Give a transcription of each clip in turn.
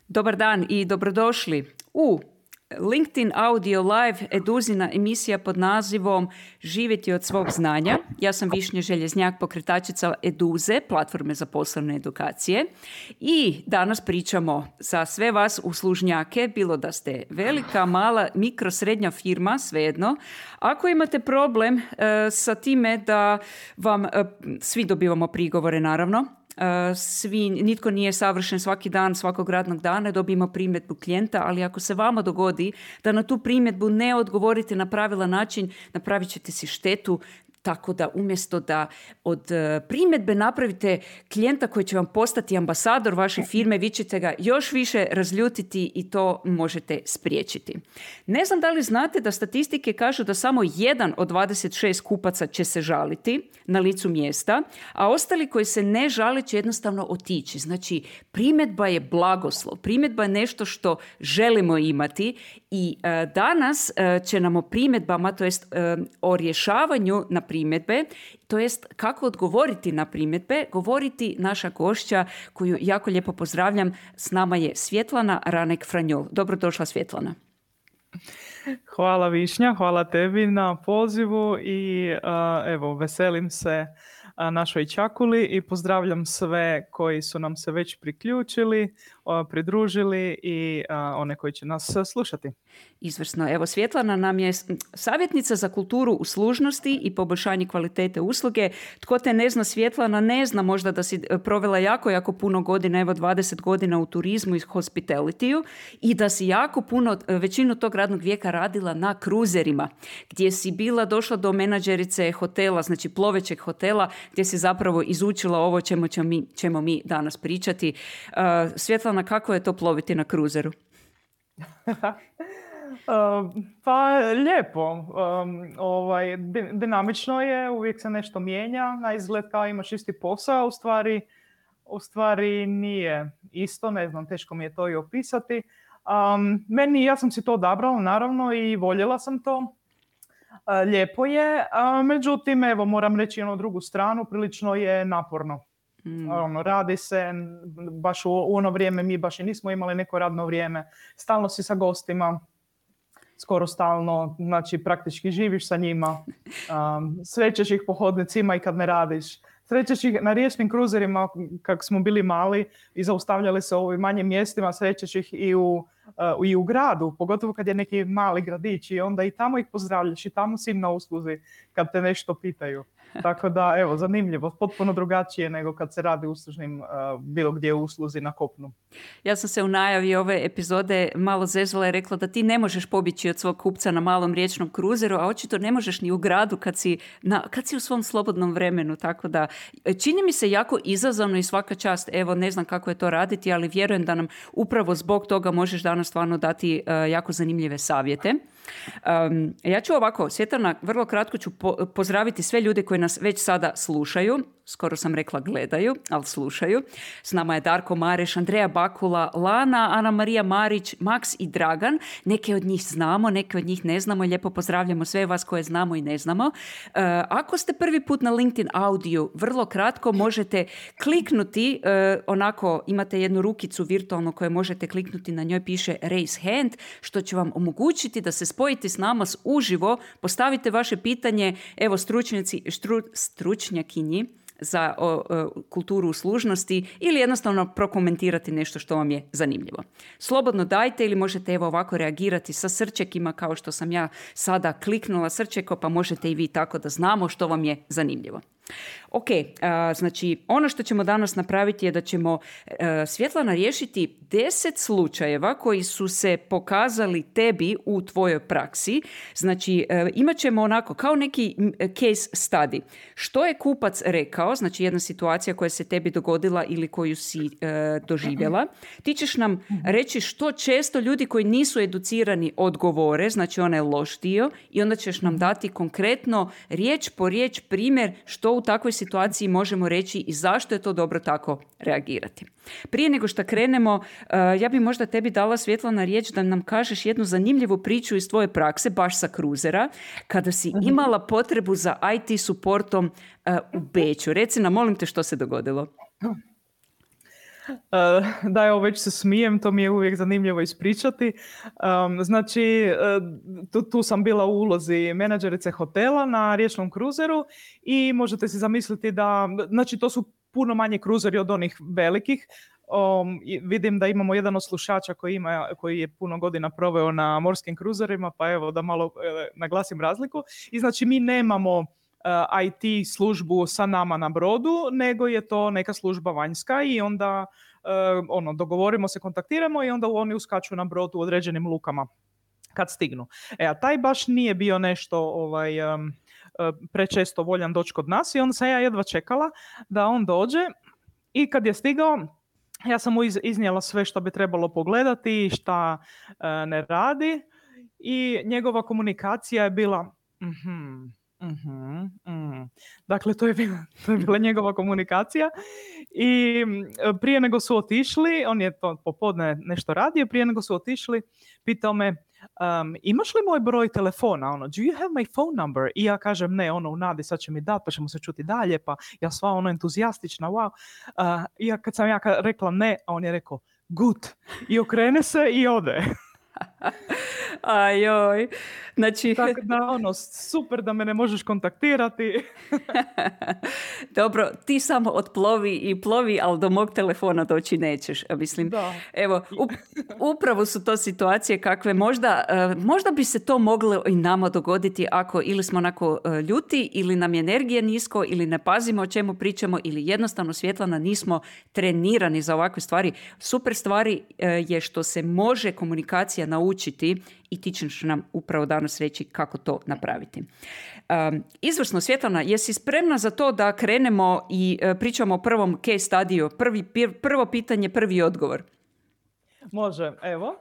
Dobar dan i dobrodošli u LinkedIn Audio Live eduzina emisija pod nazivom Živjeti od svog znanja. Ja sam Višnja Željeznjak, pokretačica Eduze, platforme za poslovne edukacije. I danas pričamo za sve vas uslužnjake, bilo da ste velika, mala, mikro, srednja firma, svejedno. Ako imate problem sa time da vam, svi dobivamo prigovore naravno, nitko nije savršen svaki dan, svakog radnog dana, dobijemo primjedbu klijenta, ali ako se vama dogodi da na tu primjedbu ne odgovorite na pravilan način, napravit ćete si štetu. Tako da umjesto da od primjedbe napravite klijenta koji će vam postati ambasador vaše firme, vi ćete ga još više razljutiti i to možete spriječiti. Ne znam da li znate da statistike kažu da samo 1 od 26 kupaca će se žaliti na licu mjesta, a ostali koji se ne žale će jednostavno otići. Znači, primjedba je blagoslov, primjedba je nešto što želimo imati i danas će nam o primjedbama, to jest o rješavanju na primjedbe, to jest kako odgovoriti na primjedbe, govoriti naša gošća koju jako lijepo pozdravljam. S nama je Svjetlana Ranek-Franjol. Dobrodošla, Svjetlana. Hvala Višnja, hvala tebi na pozivu i evo, veselim se našoj čakuli i pozdravljam sve koji su nam se već priključili, pridružili i one koji će nas slušati. Izvrsno. Evo, Svjetlana nam je savjetnica za kulturu uslužnosti i poboljšanje kvalitete usluge. Tko te ne zna, Svjetlana, ne zna možda da si provela jako puno godina, evo 20 godina u turizmu i hospitalitiju i da si jako puno, većinu tog radnog vijeka radila na kruzerima, gdje si bila došla do menadžerice hotela, znači plovećeg hotela, gdje si zapravo izučila ovo ćemo mi danas pričati. Svjetlana, kako je to ploviti na kruzeru? Pa lijepo, dinamično je, uvijek se nešto mijenja, na izgled kao imaš isti posao, u stvari nije isto, ne znam, teško mi je to i opisati. Ja sam si to odabrala naravno i voljela sam to, lijepo je, međutim evo moram reći drugu stranu, prilično je naporno. Radi se, baš u ono vrijeme mi baš i nismo imali neko radno vrijeme, stalno si sa gostima, skoro stalno, znači praktički živiš sa njima, srećeš ih po hodnicima i kad ne radiš, srećeš ih na riječnim kruzerima kako smo bili mali i zaustavljali se u ovim manjim mjestima, srećeš ih i u gradu, pogotovo kad je neki mali gradić i onda i tamo ih pozdravljaš i tamo si im na usluzi kad te nešto pitaju. Tako da, evo, zanimljivo, potpuno drugačije nego kad se radi uslužnim bilo gdje u usluzi na kopnu. Ja sam se u najavi ove epizode malo zezvala i rekla da ti ne možeš pobjeći od svog kupca na malom riječnom kruzeru, a očito ne možeš ni u gradu kad si u svom slobodnom vremenu. Tako da, čini mi se jako izazovno i svaka čast, evo, ne znam kako je to raditi, ali vjerujem da nam upravo zbog toga možeš danas stvarno dati jako zanimljive savjete. Ja ću ovako, Svjetlana, vrlo kratko ću pozdraviti sve ljude koji nas već sada slušaju, skoro sam rekla gledaju, ali slušaju. S nama je Darko Mareš, Andreja Bakula, Lana, Ana Marija Marić, Maks i Dragan. Neke od njih znamo, neke od njih ne znamo. Lijepo pozdravljamo sve vas koje znamo i ne znamo. Ako ste prvi put na LinkedIn Audio, vrlo kratko možete kliknuti, onako imate jednu rukicu virtualno koju možete kliknuti, na njoj piše Raise Hand, što će vam omogućiti da se spojite s nama uživo, postavite vaše pitanje, evo stručnjakinji za kulturu uslužnosti ili jednostavno prokomentirati nešto što vam je zanimljivo. Slobodno dajte ili možete evo ovako reagirati sa srčekima kao što sam ja sada kliknula srčeko, pa možete i vi tako da znamo što vam je zanimljivo. Ok, znači ono što ćemo danas napraviti je da ćemo Svjetlana riješiti 10 slučajeva koji su se pokazali tebi u tvojoj praksi. Znači imat ćemo onako kao neki case study. Što je kupac rekao, znači jedna situacija koja se tebi dogodila ili koju si doživjela. Ti ćeš nam reći što često ljudi koji nisu educirani odgovore, znači onaj loš dio, i onda ćeš nam dati konkretno riječ po riječ primjer što u takvoj situaciji možemo reći i zašto je to dobro tako reagirati. Prije nego što krenemo, ja bi možda tebi dala, Svjetlana, riječ da nam kažeš jednu zanimljivu priču iz tvoje prakse, baš sa kruzera, kada si imala potrebu za IT supportom u Beču. Reci nam, molim te, što se dogodilo. Da, evo već se smijem, to mi je uvijek zanimljivo ispričati. Znači, tu sam bila u ulozi menadžerice hotela na riječnom kruzeru i možete si zamisliti da, znači to su puno manje kruzeri od onih velikih. Vidim da imamo jedan od slušača koji je puno godina proveo na morskim kruzerima, pa evo da malo naglasim razliku. I znači mi nemamo IT službu sa nama na brodu, nego je to neka služba vanjska i onda dogovorimo se, kontaktiramo i onda oni uskaču na brod u određenim lukama kad stignu. A taj baš nije bio nešto prečesto voljan doći kod nas i onda sam ja jedva čekala da on dođe i kad je stigao ja sam mu iznijela sve što bi trebalo pogledati i šta ne radi i njegova komunikacija je bila Dakle, to je bila njegova komunikacija i prije nego su otišli, on je to popodne nešto radio, prije nego su otišli, pitao me, imaš li moj broj telefona? Do you have my phone number? I ja kažem ne, u nadi sad će mi dati, pa ćemo se čuti dalje, pa ja sva entuzijastična, wow. I kad sam ja rekla ne, a on je rekao good. I okrene se i ode. Ajoj, znači... Tako da, super da me ne možeš kontaktirati. Dobro, ti samo otplovi i plovi, ali do mog telefona doći nećeš. Mislim, da. Evo, upravo su to situacije kakve možda bi se to moglo i nama dogoditi ako ili smo onako ljuti, ili nam je energija nisko, ili ne pazimo o čemu pričamo, ili jednostavno, Svjetlana, nismo trenirani za ovakve stvari. Super stvari je što se može komunikacija naučiti i ti ćeš nam upravo danas reći kako to napraviti. Izvrsno, Svjetlana, jesi spremna za to da krenemo i pričamo o prvom case studiju? Prvo pitanje, prvi odgovor. Može, evo.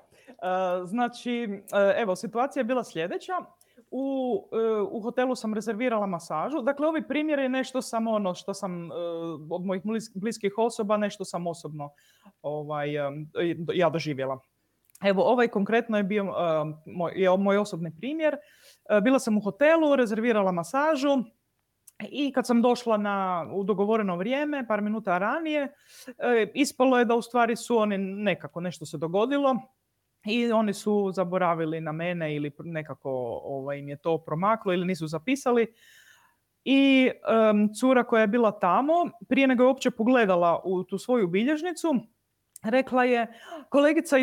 Znači, evo, situacija je bila sljedeća. U hotelu sam rezervirala masažu. Dakle, ovi primjeri je nešto samo što sam od mojih bliskih osoba, nešto sam osobno ja doživjela. Evo, ovaj konkretno je bio moj osobni primjer. Bila sam u hotelu, rezervirala masažu i kad sam došla u dogovoreno vrijeme, par minuta ranije, ispalo je da u stvari su oni nešto se dogodilo i oni su zaboravili na mene ili nekako im je to promaklo ili nisu zapisali. I cura koja je bila tamo, prije nego je uopće pogledala u tu svoju bilježnicu, rekla je, kolegica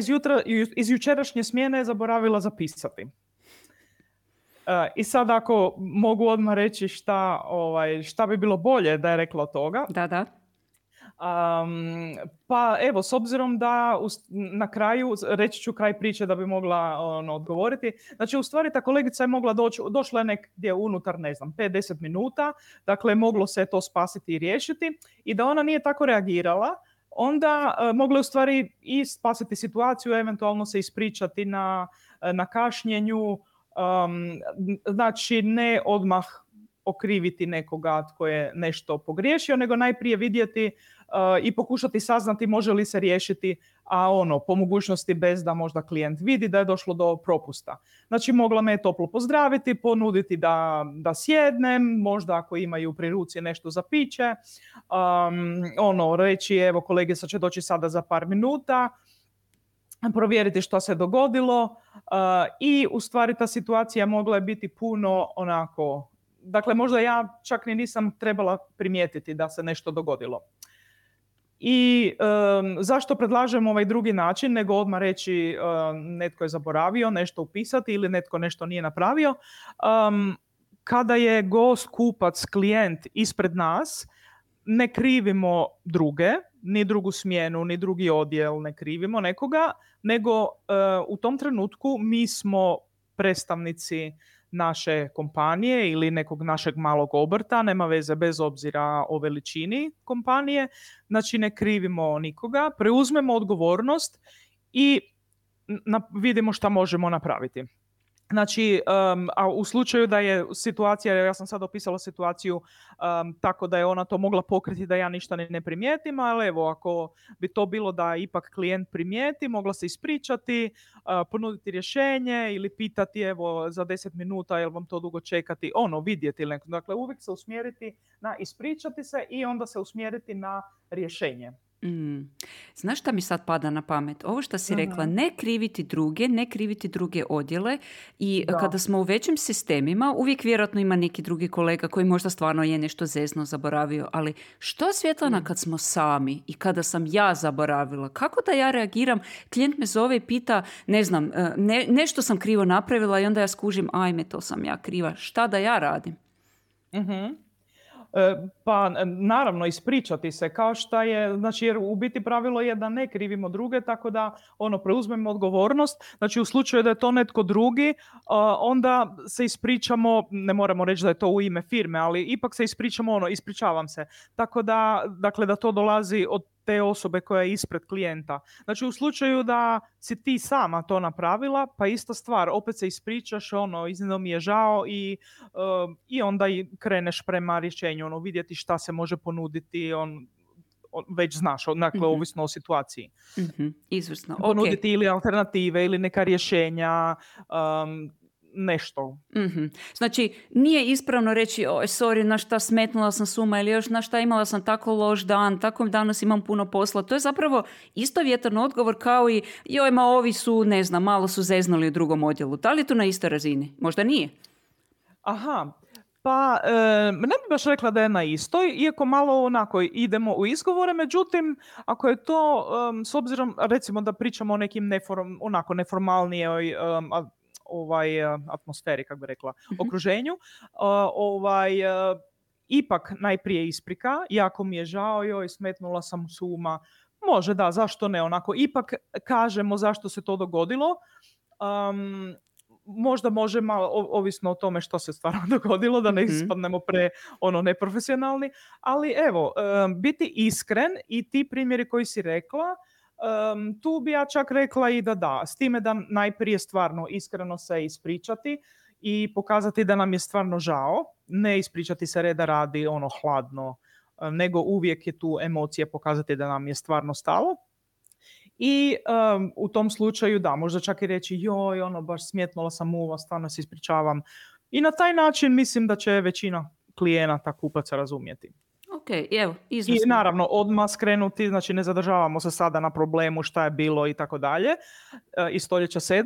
iz jučerašnje smjene je zaboravila zapisati. I sad ako mogu odmah reći šta bi bilo bolje da je rekla od toga. Da. Pa evo, s obzirom da na kraju, reći ću kraj priče da bi mogla odgovoriti. Znači, u stvari ta kolegica je mogla došla je negdje unutar, 5-10 minuta, dakle moglo se to spasiti i riješiti i da ona nije tako reagirala, onda mogla je u stvari i spasiti situaciju, eventualno se ispričati na kašnjenju, znači ne odmah okriviti nekoga tko je nešto pogriješio, nego najprije vidjeti i pokušati saznati može li se riješiti, a po mogućnosti bez da možda klijent vidi da je došlo do propusta. Znači mogla me toplo pozdraviti, ponuditi da sjednem, možda ako imaju pri ruci nešto za piće, reći evo kolegica će doći sada za par minuta, provjeriti što se dogodilo i u stvari ta situacija mogla je biti puno onako, dakle možda ja čak ni nisam trebala primijetiti da se nešto dogodilo. I zašto predlažem ovaj drugi način nego odmah reći netko je zaboravio nešto upisati ili netko nešto nije napravio. Kada je gost, kupac, klijent ispred nas, ne krivimo druge, ni drugu smjenu, ni drugi odjel, ne krivimo nekoga, nego u tom trenutku mi smo predstavnici naše kompanije ili nekog našeg malog obrta, nema veze bez obzira o veličini kompanije, znači ne krivimo nikoga, preuzmemo odgovornost i vidimo šta možemo napraviti. Znači, a u slučaju da je situacija, ja sam sad opisala situaciju tako da je ona to mogla pokriti da ja ništa ne primijetim, ali evo, ako bi to bilo da ipak klijent primijeti, mogla se ispričati, ponuditi rješenje ili pitati evo za 10 minuta jel vam to dugo čekati, vidjeti ili neko. Dakle, uvijek se usmjeriti na ispričati se i onda se usmjeriti na rješenje. Znaš šta mi sad pada na pamet? Ovo što si rekla, ne kriviti druge odjele i kada smo u većim sistemima, uvijek vjerojatno ima neki drugi kolega koji možda stvarno je nešto zezno zaboravio, ali što Svjetlana kad smo sami i kada sam ja zaboravila? Kako da ja reagiram? Klijent me zove i pita, ne znam, nešto sam krivo napravila i onda ja skužim, ajme, to sam ja kriva. Šta da ja radim? Pa naravno ispričati se kao šta je, znači jer u biti pravilo je da ne krivimo druge, tako da preuzmemo odgovornost. Znači u slučaju da je to netko drugi, onda se ispričamo, ne moramo reći da je to u ime firme, ali ipak se ispričamo ispričavam se. Tako da, dakle, da to dolazi od te osobe koja je ispred klijenta. Znači u slučaju da si ti sama to napravila, pa ista stvar, opet se ispričaš, iznimno mi je žao i onda i kreneš prema rješenju, vidjeti šta se može ponuditi, već znaš, dakle, ovisno o situaciji. Izvrsno. Ponuditi ili alternative ili neka rješenja, nešto. Znači, nije ispravno reći, sorry, na šta smetnula sam s uma ili još na šta imala sam tako loš dan, tako danas imam puno posla. To je zapravo istovjetan odgovor kao i ovi su, ne znam, malo su zeznuli u drugom odjelu. Da li je to na istoj razini? Možda nije. Aha, pa ne bih baš rekla da je na istoj, iako malo onako idemo u izgovore, međutim, ako je to, s obzirom, recimo da pričamo o nekim neformalnijoj atmosferi, kako bi rekla, okruženju, ipak najprije isprika, jako mi je žao, smetnula sam s uma, može da, zašto ne, ipak kažemo zašto se to dogodilo, možda može malo, ovisno o tome što se stvarno dogodilo, da ne ispadnemo neprofesionalni, ali evo, biti iskren i ti primjeri koji si rekla, tu bi ja čak rekla i da, s time da najprije stvarno iskreno se ispričati i pokazati da nam je stvarno žao, ne ispričati se reda radi hladno, nego uvijek je tu emocije pokazati da nam je stvarno stalo. I u tom slučaju da, možda čak i reći baš smetnula sam uva, stvarno se ispričavam. I na taj način mislim da će većina klijenata, kupaca razumjeti. Ok, evo, izvrsno. I naravno odmah skrenuti, znači ne zadržavamo se sada na problemu šta je bilo i tako dalje iz stoljeća 7.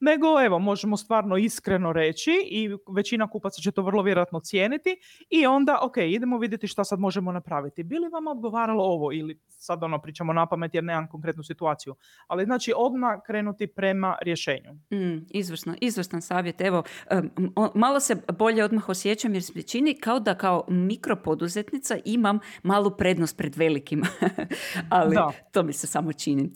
nego evo možemo stvarno iskreno reći i većina kupaca će to vrlo vjerojatno cijeniti i onda ok, idemo vidjeti šta sad možemo napraviti. Bi li vam odgovaralo ovo ili sad pričamo na pamet jer nemam konkretnu situaciju, ali znači odmah krenuti prema rješenju. Izvrstan savjet. Evo, malo se bolje odmah osjećam jer se čini kao da kao mikropoduzetnica imam malu prednost pred velikim, ali to mi se samo čini.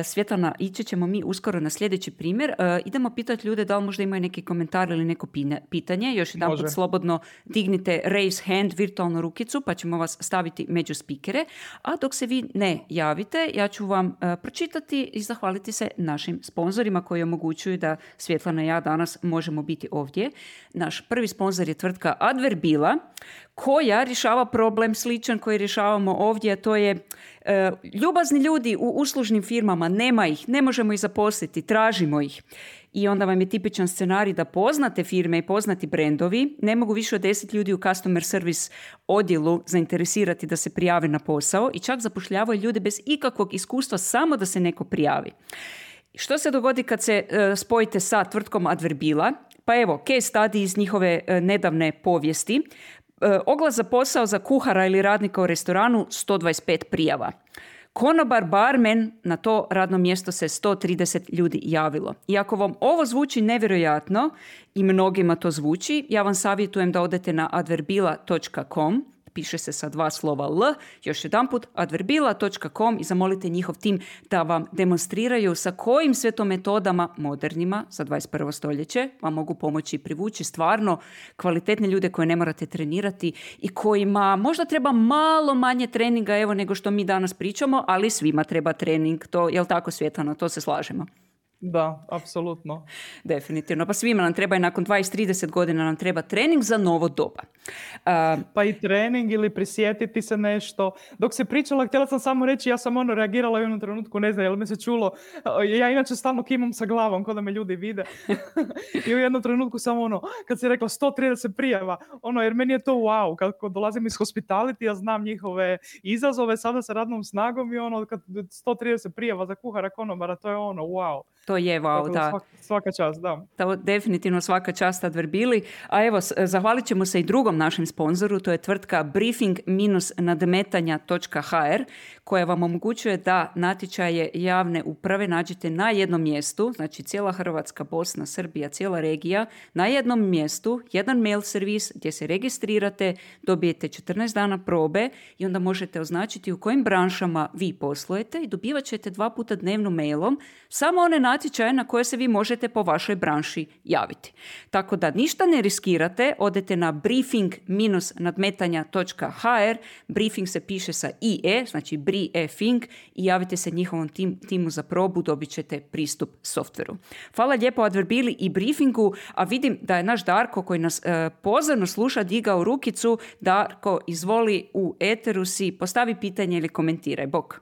Svjetlana, ići ćemo mi uskoro na sljedeći primjer. Idemo pitati ljude da li možda imaju neki komentar ili neko pitanje. Još jedan put slobodno dignite raise hand, virtualnu rukicu, pa ćemo vas staviti među spikere. A dok se vi ne javite, ja ću vam pročitati i zahvaliti se našim sponzorima koji omogućuju da Svjetlana i ja danas možemo biti ovdje. Naš prvi sponzor je tvrtka Adverbila, koja rješava problem sličan koji rješavamo ovdje, a to je ljubazni ljudi u uslužnim firmama, nema ih, ne možemo ih zaposliti, tražimo ih. I onda vam je tipičan scenarij da poznate firme i poznati brendovi ne mogu više od 10 ljudi u customer service odjelu zainteresirati da se prijave na posao i čak zapošljavaju ljude bez ikakvog iskustva samo da se neko prijavi. Što se dogodi kad se spojite sa tvrtkom Adverbila? Pa evo, case study iz njihove nedavne povijesti. Oglas za posao za kuhara ili radnika u restoranu 125 prijava. Konobar, barmen, na to radno mjesto se 130 ljudi javilo. I ako vam ovo zvuči nevjerojatno i mnogima to zvuči, ja vam savjetujem da odete na adverbila.com, piše se sa 2 slova L, još jedanput adverbila.com i zamolite njihov tim da vam demonstriraju sa kojim sve to metodama modernima za 21. stoljeće vam mogu pomoći privući stvarno kvalitetne ljude koje ne morate trenirati i kojima možda treba malo manje treninga nego što mi danas pričamo, ali svima treba trening. To je li tako, Svjetlana? To se slažemo. Da, apsolutno. Definitivno. Pa svima nam treba i nakon 20-30 godina nam treba trening za novo doba. Pa i trening ili prisjetiti se nešto. Dok se pričala, htjela sam samo reći, ja sam reagirala u jednom trenutku, ne znam, jel me se čulo. Ja inače stalno kimam sa glavom, kao da me ljudi vide. I u jednom trenutku sam kad si rekla 130 prijava, jer meni je to wow. Kako dolazim iz hospitality, ja znam njihove izazove sada sa radnom snagom i kad 130 prijava za kuhara konobara, to je wow. To je wow, da. Svaka čast, da. To definitivno svaka čast Adverbili. A evo, zahvalit ćemo se i drugom našem sponzoru, to je tvrtka briefing-nadmetanja.hr koja vam omogućuje da natječaje javne uprave nađete na jednom mjestu, znači cijela Hrvatska, Bosna, Srbija, cijela regija, na jednom mjestu, jedan mail servis gdje se registrirate, dobijete 14 dana probe i onda možete označiti u kojim branšama vi poslujete i dobivat ćete 2 puta dnevno mailom samo one natječaje na koje se vi možete po vašoj branši javiti. Tako da ništa ne riskirate, odete na briefing-nadmetanja.hr, briefing se piše sa IE, znači briefing, i javite se njihovom timu za probu, dobit ćete pristup softveru. Hvala lijepo Adverbili i briefingu, a vidim da je naš Darko koji nas pozorno sluša digao rukicu. Darko, izvoli, u eteru si, postavi pitanje ili komentiraj. Bog.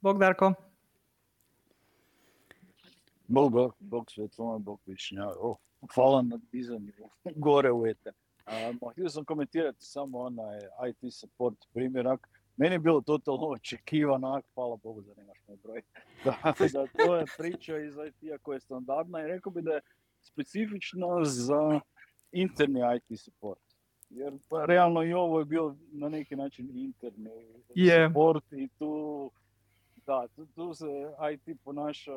Bog, Darko. Bog Svetlana, Bog Višnja. Hvala na dizanju gore u eter. Htio sam komentirati samo onaj IT support primjerak. Meni je bilo totalno očekivano, hvala Bogu da nemaš moj broj. Da to je priča iz IT-a koja je standardna i rekao bi da je specifično za interni IT support. Jer pa, realno i ovo je bio na neki način interni support i tu se IT ponaša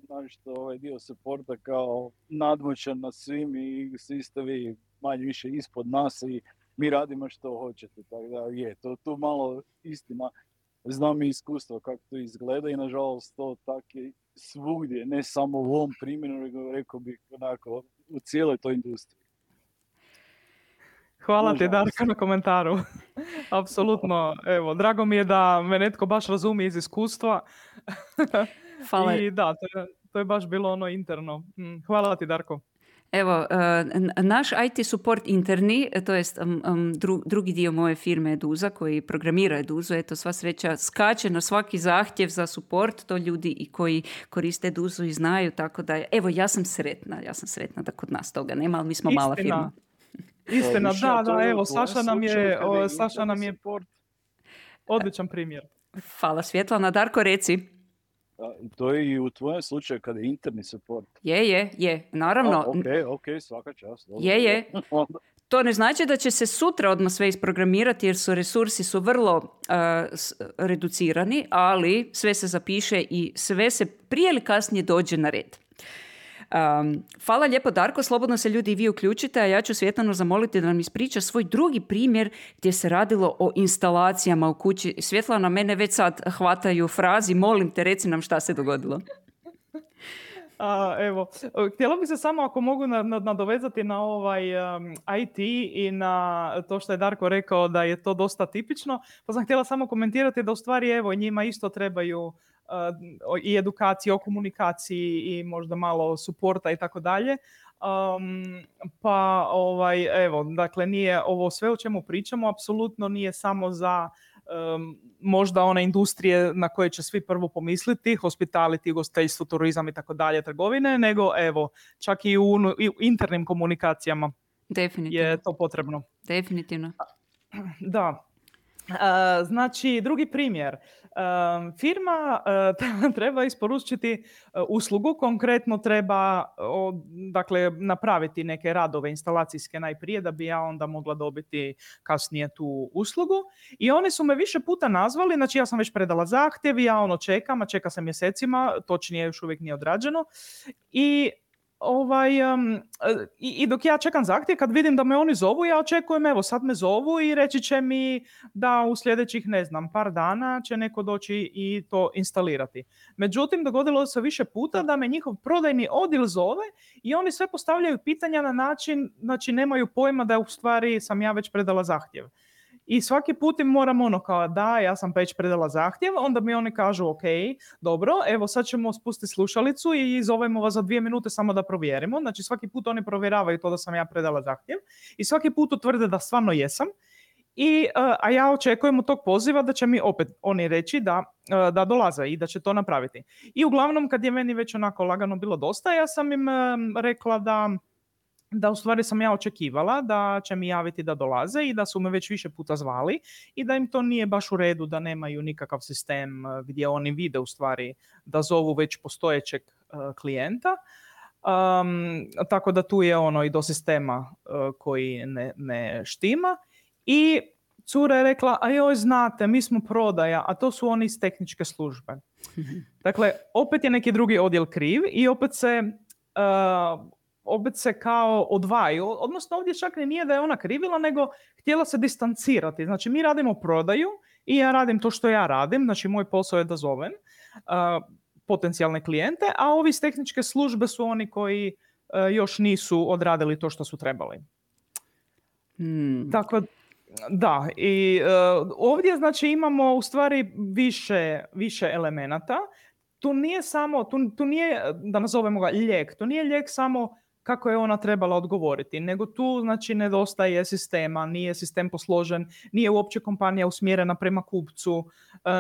našto ovaj dio supporta kao nadmoćan nad svim i svi ste vi manje više ispod nas i mi radimo što hoćete. Tako da je, to malo istina. Znam i iskustvo kako to izgleda i nažalost to tako je svugdje, ne samo u ovom primjeru, nego rekao bih onako u cijeloj toj industriji. Hvala ti, Darko, na komentaru. Apsolutno. Evo, drago mi je da me netko baš razumije iz iskustva. Hvala. I da, to je baš bilo interno. Hvala ti, Darko. Evo, naš IT support interni, to jest drugi dio moje firme Eduza koji programira Eduzu, eto sva sreća skače na svaki zahtjev za support, to ljudi i koji koriste Eduzu i znaju, tako da evo ja sam sretna da kod nas toga nema, ali mi smo mala firma. Istina, da, evo, Saša nam je odličan primjer. Hvala Svjetlana. Darko, reci. To je i u tvojem slučaju kada je interni support. Je, naravno. Ok, svaka čast. Je. To ne znači da će se sutra odmah sve isprogramirati jer resursi su vrlo reducirani, ali sve se zapiše i sve se prije ili kasnije dođe na red. Hvala lijepo Darko, slobodno se ljudi i vi uključite, a ja ću Svjetlanu zamoliti da nam ispriča svoj drugi primjer gdje se radilo o instalacijama u kući. Svjetlana, mene već sad hvataju frazi, molim te, reci nam šta se dogodilo. Evo, htjela bih se samo ako mogu nadovezati na ovaj IT i na to što je Darko rekao da je to dosta tipično, pa sam htjela samo komentirati da u stvari evo njima isto trebaju i edukacije o komunikaciji i možda malo suporta i tako dalje. Pa evo, dakle nije ovo sve o čemu pričamo, apsolutno nije samo za možda one industrije na koje će svi prvo pomisliti, hospitality, ugostiteljstvo, turizam i tako dalje, trgovine, nego evo, čak i u internim komunikacijama je to potrebno. Definitivno. Da. Znači, drugi primjer. Firma treba isporučiti uslugu, konkretno treba napraviti neke radove instalacijske najprije da bi ja onda mogla dobiti kasnije tu uslugu. I oni su me više puta nazvali, znači ja sam već predala zahtjev, ja čeka se mjesecima, točnije još uvijek nije odrađeno. I dok ja čekam zahtjev, kad vidim da me oni zovu, ja očekujem, evo sad me zovu i reći će mi da u sljedećih, par dana će neko doći i to instalirati. Međutim, dogodilo se više puta da me njihov prodajni odjel zove i oni sve postavljaju pitanja na način, znači nemaju pojma da u stvari sam ja već predala zahtjev. I svaki put im moram kao da, ja sam već predala zahtjev, onda mi oni kažu ok, dobro, evo sad ćemo spustiti slušalicu i zovemo vas za 2 minute samo da provjerimo. Znači svaki put oni provjeravaju to da sam ja predala zahtjev i svaki put utvrde da stvarno jesam. A ja očekujem od tog poziva da će mi opet oni reći da dolaze i da će to napraviti. I uglavnom kad je meni već onako lagano bilo dosta, ja sam im rekla da u stvari sam ja očekivala da će mi javiti da dolaze i da su me već više puta zvali i da im to nije baš u redu, da nemaju nikakav sistem gdje oni vide u stvari da zovu već postojećeg klijenta. Tako da tu je i do sistema koji ne štima. I cura je rekla, a joj znate, mi smo prodaja, a to su oni iz tehničke službe. Dakle, opet je neki drugi odjel kriv i opet se kao odvaju, odnosno ovdje čak nije da je ona krivila, nego htjela se distancirati. Znači, mi radimo prodaju i ja radim to što ja radim, znači moj posao je da zovem potencijalne klijente, a ovi iz tehničke službe su oni koji još nisu odradili to što su trebali. Tako da, i ovdje znači imamo u stvari više elemenata. Tu nije samo, tu nije, da nazovemo ga lijek, to nije lijek samo kako je ona trebala odgovoriti, nego tu znači nedostaje sistema, nije sistem posložen, nije uopće kompanija usmjerena prema kupcu,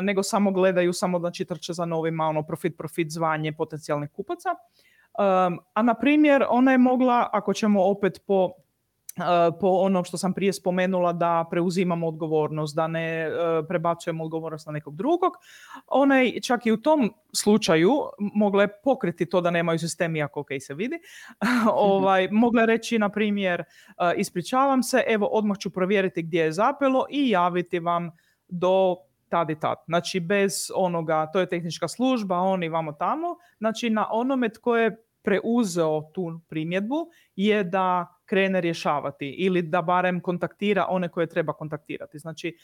nego samo gledaju, samo znači trče za novima, profit, zvanje potencijalnih kupaca. A na primjer, ona je mogla, ako ćemo opet po ono što sam prije spomenula, da preuzimamo odgovornost, da ne prebacujemo odgovornost na nekog drugog. Ona je čak i u tom slučaju mogla je pokriti to da nemaju sistem, iako ok se vidi. Mogla je reći, na primjer, ispričavam se, evo odmah ću provjeriti gdje je zapelo i javiti vam do tad i tad. Znači bez onoga, to je tehnička služba, oni vamo tamo. Znači na onome tko je preuzeo tu primjedbu je da krene rješavati ili da barem kontaktira one koje treba kontaktirati. Znači,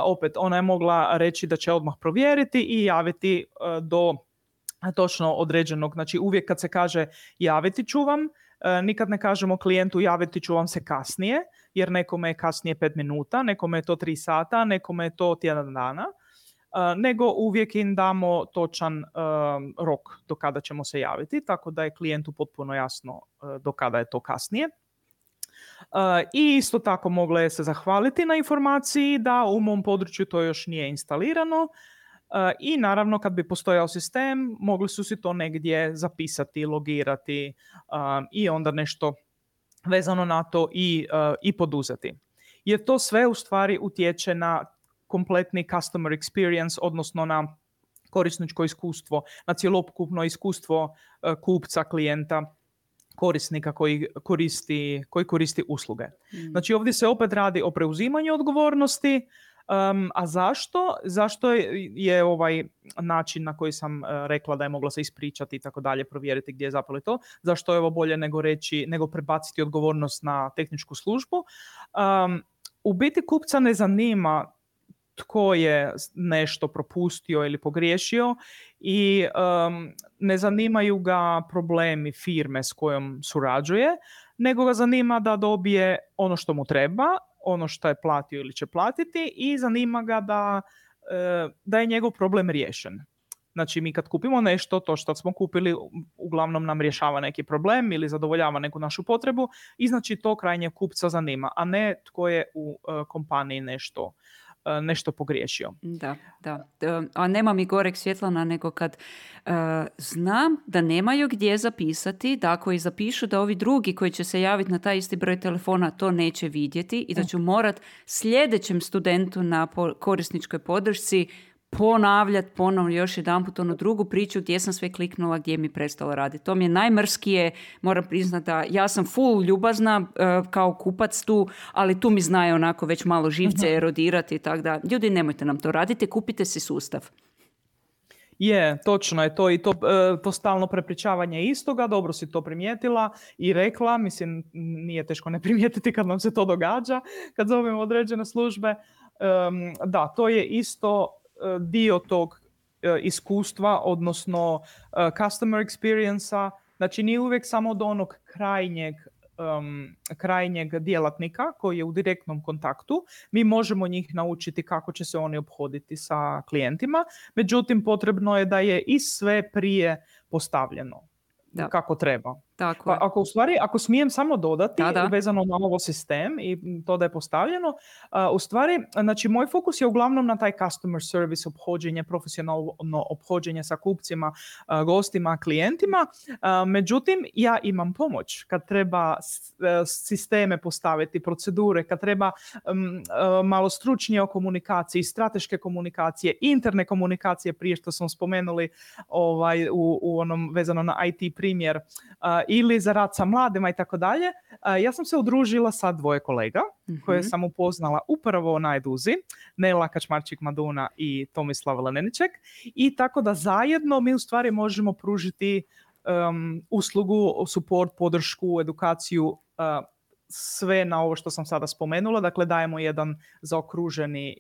opet, ona je mogla reći da će odmah provjeriti i javiti do točno određenog. Znači, uvijek kad se kaže javiti ću vam, nikad ne kažemo klijentu javiti ću vam se kasnije, jer nekome je kasnije 5 minuta, nekome je to 3 sata, nekome je to tjedan dana. Nego uvijek im damo točan rok do kada ćemo se javiti, tako da je klijentu potpuno jasno do kada je to kasnije. I isto tako mogla je se zahvaliti na informaciji da u mom području to još nije instalirano i naravno kad bi postojao sistem mogli su si to negdje zapisati, logirati i onda nešto vezano na to i poduzeti. Jer to sve u stvari utječe na kompletni customer experience, odnosno na korisničko iskustvo, na cjelokupno iskustvo kupca, klijenta, korisnika koji koristi usluge. Znači ovdje se opet radi o preuzimanju odgovornosti, a zašto? Zašto je ovaj način na koji sam rekla da je mogla se ispričati i tako dalje, provjeriti gdje je zapelo to, zašto je ovo bolje nego prebaciti odgovornost na tehničku službu? U biti kupca ne zanima tko je nešto propustio ili pogriješio i ne zanimaju ga problemi firme s kojom surađuje, nego ga zanima da dobije ono što mu treba, ono što je platio ili će platiti i zanima ga da je njegov problem riješen. Znači mi kad kupimo nešto, to što smo kupili uglavnom nam rješava neki problem ili zadovoljava neku našu potrebu i znači to krajnje kupca zanima, a ne tko je u kompaniji nešto pogriješio. Da. A nema mi goreg Svjetlana nego kad znam da nemaju gdje zapisati, da ako i zapišu da ovi drugi koji će se javiti na taj isti broj telefona to neće vidjeti i da ću morat sljedećem studentu na korisničkoj podršci ponavljati ponovno još jedanput onu drugu priču gdje sam sve kliknula, gdje mi prestalo raditi. To mi je najmrskije, moram priznati da ja sam full ljubazna kao kupac tu, ali tu mi znaju onako već malo živce erodirati i tako da. Ljudi, nemojte nam to raditi, kupite si sustav. Je, točno je to i to stalno prepričavanje istoga, dobro si to primijetila i rekla, mislim nije teško ne primijetiti kad nam se to događa, kad zovemo određene službe. Da, to je isto dio tog iskustva, odnosno customer experience-a. Znači nije uvijek samo do onog krajnjeg krajnjeg djelatnika koji je u direktnom kontaktu. Mi možemo njih naučiti kako će se oni ophoditi sa klijentima, međutim potrebno je da je i sve prije postavljeno kako treba. Tako pa ako smijem samo dodati, da. vezano na ovo sistem i to da je postavljeno, u stvari, znači moj fokus je uglavnom na taj customer service, ophođenje, profesionalno ophođenje sa kupcima, gostima, klijentima, međutim ja imam pomoć kad treba sisteme postaviti, procedure, kad treba malo stručnije o komunikaciji, strateške komunikacije, interne komunikacije, prije što smo spomenuli u onom vezano na IT primjer, ili za rad sa mladima i tako dalje. Ja sam se udružila sa 2 kolega koje sam upoznala upravo na Eduzi, Nela Kačmarčik-Maduna i Tomislav Leneniček, i tako da zajedno mi u stvari možemo pružiti uslugu, support, podršku, edukaciju, sve na ovo što sam sada spomenula. Dakle, dajemo jedan zaokruženi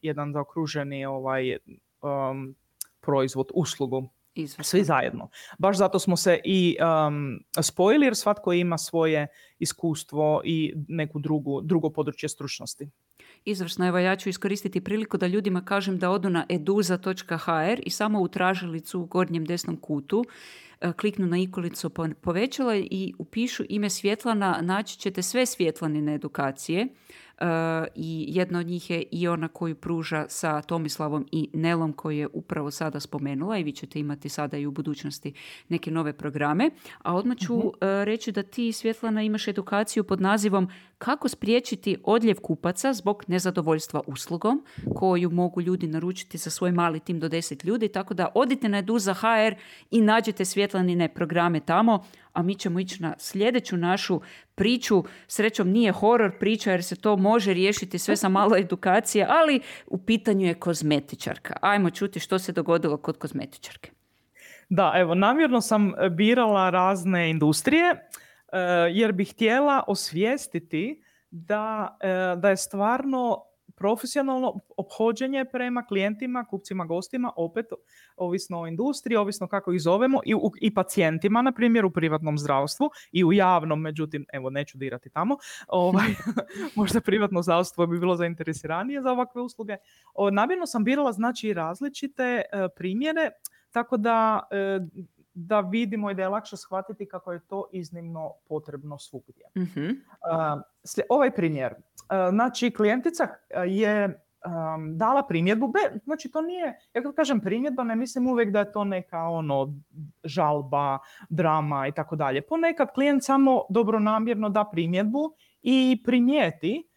proizvod, uslugu. Izvrstno. Svi zajedno. Baš zato smo se i spojili, jer svatko ima svoje iskustvo i neku drugo područje stručnosti. Izvrsno. Evo, ja ću iskoristiti priliku da ljudima kažem da odu na eduza.hr i samo u tražilicu u gornjem desnom kutu kliknu na ikonicu povećala i upišu ime Svjetlana. Naći ćete sve Svjetlanine edukacije. I jedna od njih je i ona koju pruža sa Tomislavom i Nelom koju je upravo sada spomenula, i vi ćete imati sada i u budućnosti neke nove programe. A odmah ću reći da ti, Svjetlana, imaš edukaciju pod nazivom Kako spriječiti odljev kupaca zbog nezadovoljstva uslugom, koju mogu ljudi naručiti za svoj mali tim do 10 ljudi, tako da odite na Eduza.hr i nađete Svjetlanine programe tamo, a mi ćemo ići na sljedeću našu priču. Srećom nije horor priča jer se to može riješiti sve sa malo edukacije, ali u pitanju je kozmetičarka. Ajmo čuti što se dogodilo kod kozmetičarke. Da, evo, namjerno sam birala razne industrije jer bih htjela osvijestiti da je stvarno profesionalno ophođenje prema klijentima, kupcima, gostima, opet ovisno o industriji, ovisno kako ih zovemo, i pacijentima, na primjer u privatnom zdravstvu i u javnom, međutim, evo, neću dirati tamo, možda privatno zdravstvo bi bilo zainteresiranije za ovakve usluge. Namjerno sam birala, znači, različite primjere, tako da vidimo i da je lakše shvatiti kako je to iznimno potrebno svugdje. Ovaj primjer, znači, klijentica je dala primjedbu, znači to nije, ja kad kažem primjedba, ne mislim uvijek da je to neka žalba, drama i tako dalje. Ponekad klijent samo dobronamjerno da primjedbu i primijeti,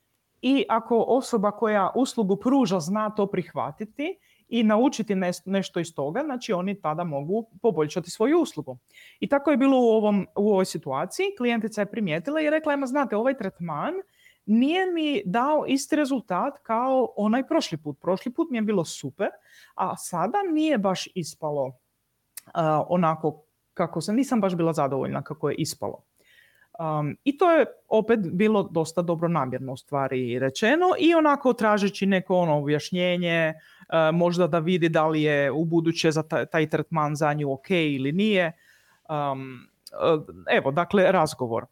i ako osoba koja uslugu pruža zna to prihvatiti i naučiti nešto iz toga, znači oni tada mogu poboljšati svoju uslugu. I tako je bilo u ovoj situaciji. Klijentica je primijetila i rekla, znate, ovaj tretman nije mi dao isti rezultat kao onaj prošli put. Prošli put mi je bilo super, a sada nije baš ispalo onako kako nisam baš bila zadovoljna kako je ispalo. I to je opet bilo dosta dobronamjerno u stvari rečeno i onako tražeći neko objašnjenje, možda da vidi da li je u buduće za taj tretman za nju ok ili nije. Evo, dakle, razgovor.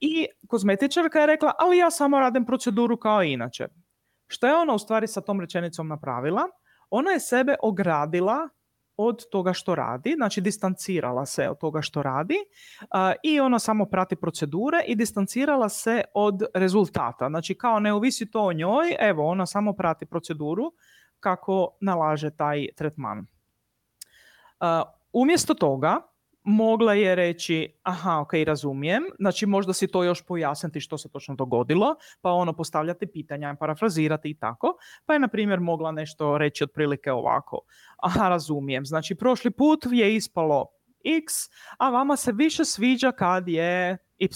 I kozmetičarka je rekla, ali ja samo radim proceduru kao inače. Što je ona u stvari sa tom rečenicom napravila? Ona je sebe ogradila od toga što radi, znači distancirala se od toga što radi i ona samo prati procedure i distancirala se od rezultata. Znači, kao ne ovisi to o njoj, evo, ona samo prati proceduru kako nalaže taj tretman. Umjesto toga mogla je reći, aha, ok, razumijem, znači možda si to još pojasniti što se točno dogodilo, pa postavljati pitanja, parafrazirati i tako, pa je, na primjer, mogla nešto reći otprilike ovako, aha, razumijem, znači prošli put je ispalo X, a vama se više sviđa kad je Y.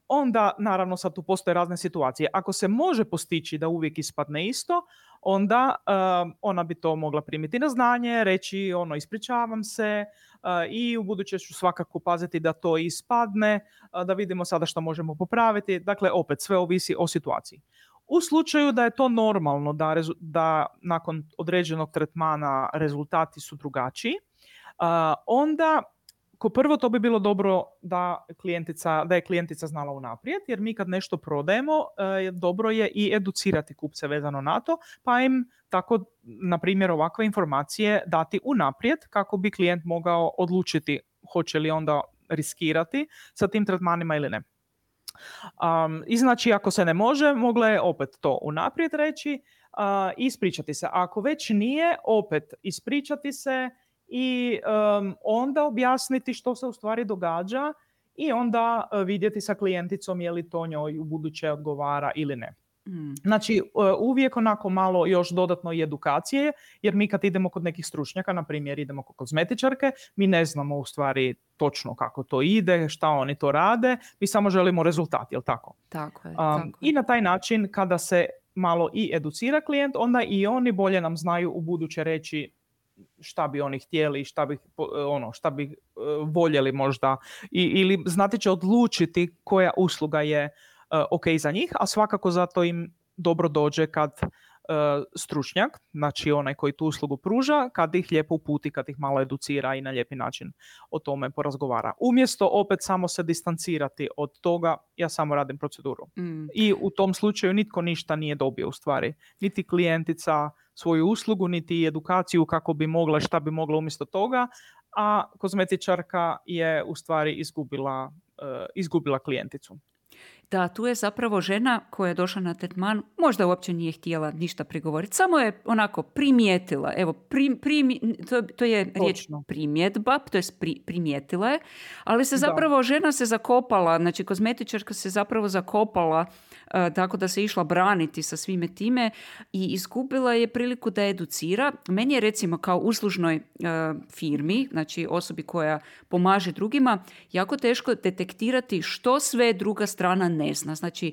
Onda, naravno, sad tu postoje razne situacije. Ako se može postići da uvijek ispadne isto, onda ona bi to mogla primiti na znanje, reći ispričavam se i u buduće ću svakako paziti da to ispadne, da vidimo sada što možemo popraviti. Dakle, opet, sve ovisi o situaciji. U slučaju da je to normalno, da nakon određenog tretmana rezultati su drugačiji, onda Ko prvo, to bi bilo dobro da je klijentica znala unaprijed, jer mi kad nešto prodajemo, dobro je i educirati kupce vezano na to, pa im tako, na primjer, ovakve informacije dati unaprijed kako bi klijent mogao odlučiti hoće li onda riskirati sa tim tretmanima ili ne. I znači, ako se ne može, mogla je opet to unaprijed reći, ispričati se. Ako već nije, opet ispričati se i onda objasniti što se u stvari događa i onda vidjeti sa klijenticom je li to njoj u buduće odgovara ili ne. Znači, uvijek onako malo još dodatno i edukacije, jer mi kad idemo kod nekih stručnjaka, na primjer idemo kod kozmetičarke, mi ne znamo u stvari točno kako to ide, šta oni to rade, mi samo želimo rezultat, jel tako? Tako je. I na taj način, kada se malo i educira klijent, onda i oni bolje nam znaju u buduće reći šta bi oni htjeli, šta bi voljeli možda, ili znati će odlučiti koja usluga je ok za njih, a svakako zato im dobro dođe kad stručnjak, znači onaj koji tu uslugu pruža, kad ih lijepo uputi, kad ih malo educira i na lijepi način o tome porazgovara. Umjesto opet samo se distancirati od toga, ja samo radim proceduru. I u tom slučaju nitko ništa nije dobio u stvari. Niti klijentica svoju uslugu, niti edukaciju kako bi mogla, šta bi mogla umjesto toga, a kozmetičarka je u stvari izgubila klijenticu. Da, tu je zapravo žena koja je došla na tretman, možda uopće nije htjela ništa prigovoriti, samo je onako primijetila, evo, to je riječ primjedba, to je primijetila je, ali se zapravo žena se zakopala, znači kozmetičarka se zapravo zakopala, tako da se išla braniti sa svime time i izgubila je priliku da educira. Meni je recimo kao uslužnoj firmi, znači osobi koja pomaže drugima, jako teško detektirati što sve druga strana ne zna. Znači,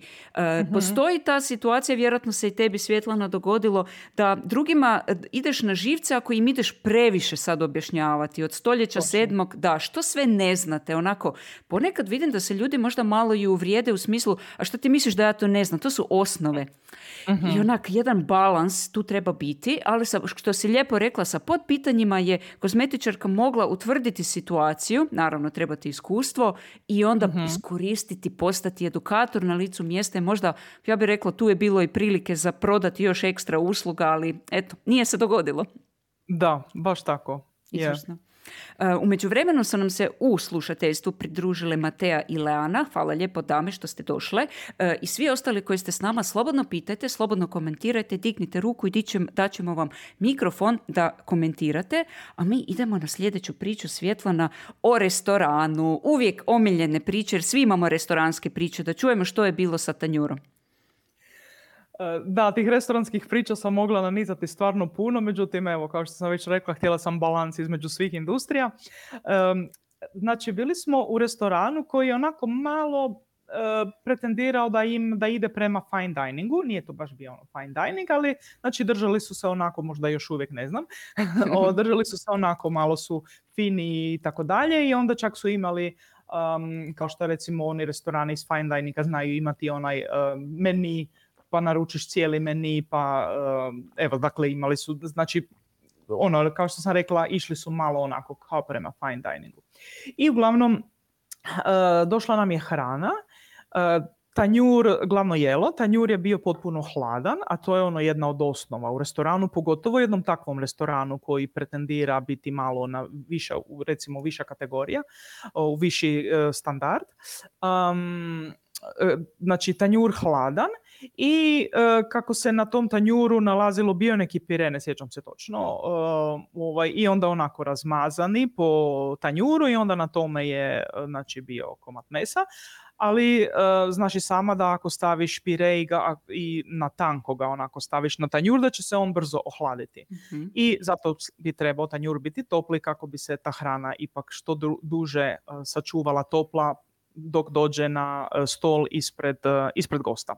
postoji ta situacija, vjerojatno se i tebi, Svjetlana, dogodilo da drugima ideš na živce ako im ideš previše sad objašnjavati. Od stoljeća 7. Da, što sve ne znate. Onako, ponekad vidim da se ljudi možda malo i uvrijede u smislu, a što ti misliš da ja to ne znam? To su osnove. I onak, jedan balans tu treba biti, ali što si lijepo rekla, sa podpitanjima je kozmetičarka mogla utvrditi situaciju, naravno trebati iskustvo, i onda iskoristiti, postati edukator na licu mjesta. I možda, ja bih rekla, tu je bilo i prilike za prodati još ekstra usluga, ali eto, nije se dogodilo. Da, baš tako. Izvrsno. U međuvremenu su nam se u slušateljstvu pridružile Matea i Leana. Hvala lijepo, dame, što ste došle. I svi ostali koji ste s nama, slobodno pitajte, slobodno komentirajte, dignite ruku i daćemo vam mikrofon da komentirate. A mi idemo na sljedeću priču, Svjetlana, o restoranu. Uvijek omiljene priče, jer svi imamo restoranske priče. Da čujemo što je bilo sa tanjurom. Da, tih restoranskih priča sam mogla nanizati stvarno puno, međutim, evo, kao što sam već rekla, htjela sam balans između svih industrija. Znači, bili smo u restoranu koji je onako malo pretendirao da ide prema fine diningu. Nije to baš bio fine dining, ali znači držali su se onako, možda još uvijek ne znam, držali su se onako, malo su fini i tako dalje, i onda čak su imali kao što recimo oni restorani iz fine dininga znaju imati onaj meni, pa naručiš cijeli meni, pa evo, dakle, imali su, znači, kao što sam rekla, išli su malo onako kao prema fine diningu. I uglavnom, došla nam je hrana, tanjur, glavno jelo, tanjur je bio potpuno hladan, a to je jedna od osnova u restoranu, pogotovo jednom takvom restoranu koji pretendira biti malo na recimo viša kategorija, u viši standard. Znači, tanjur hladan, i kako se na tom tanjuru nalazilo, bio neki pire, ne sjećam se točno, i onda onako razmazani po tanjuru, i onda na tome je, znači, bio komad mesa, ali znaš i sama da ako staviš pire i na tanko ga onako staviš na tanjur, da će se on brzo ohladiti. I zato bi trebao tanjur biti topli kako bi se ta hrana ipak što duže sačuvala topla dok dođe na stol ispred gosta.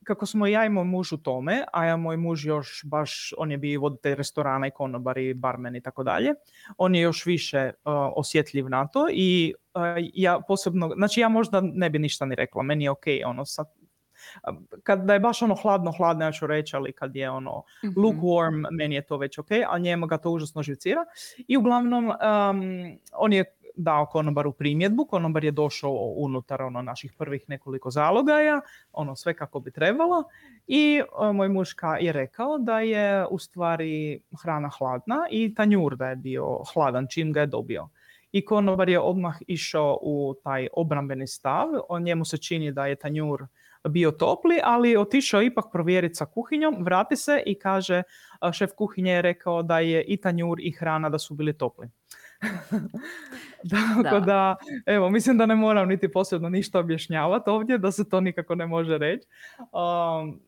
Kako smo ja i moj muž u tome, a ja moj muž još baš, on je bio voditelj restorana i konobar i barmen i tako dalje, on je još više osjetljiv na to, i ja posebno, znači ja možda ne bi ništa ni rekla, meni je okej, kad je baš hladno, ja ću reći, ali kad je lukewarm, meni je to već ok, a njemu ga to užasno živcira. I uglavnom, on je dao konobaru primjedbu, konobar je došao unutar naših prvih nekoliko zalogaja, sve kako bi trebalo, i moj muška je rekao da je u stvari hrana hladna i tanjur da je bio hladan čim ga je dobio. I konobar je odmah išao u taj obrambeni stav, njemu se čini da je tanjur bio topli, ali otišao ipak provjeriti sa kuhinjom, vrati se i kaže, šef kuhinje je rekao da je i tanjur i hrana da su bili topli. Tako da, evo, mislim da ne moram niti posebno ništa objašnjavati ovdje, da se to nikako ne može reći.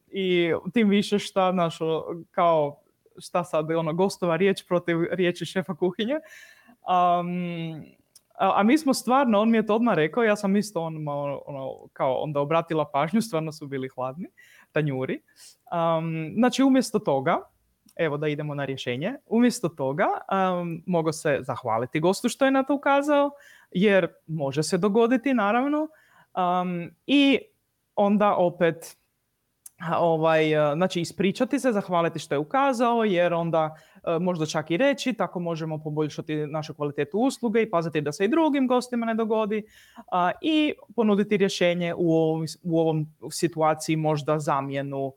I tim više šta sad gostova riječ protiv riječi šefa kuhinje. A mi smo stvarno, on mi je to odmah rekao, ja sam isto kao onda obratila pažnju, stvarno su bili hladni tanjuri. Znači, umjesto toga, evo da idemo na rješenje, umjesto toga mogu se zahvaliti gostu što je na to ukazao, jer može se dogoditi, naravno, i onda opet znači ispričati se, zahvaliti što je ukazao, jer onda možda čak i reći, tako možemo poboljšati našu kvalitetu usluge i paziti da se i drugim gostima ne dogodi, i ponuditi rješenje u ovom situaciji, možda zamjenu,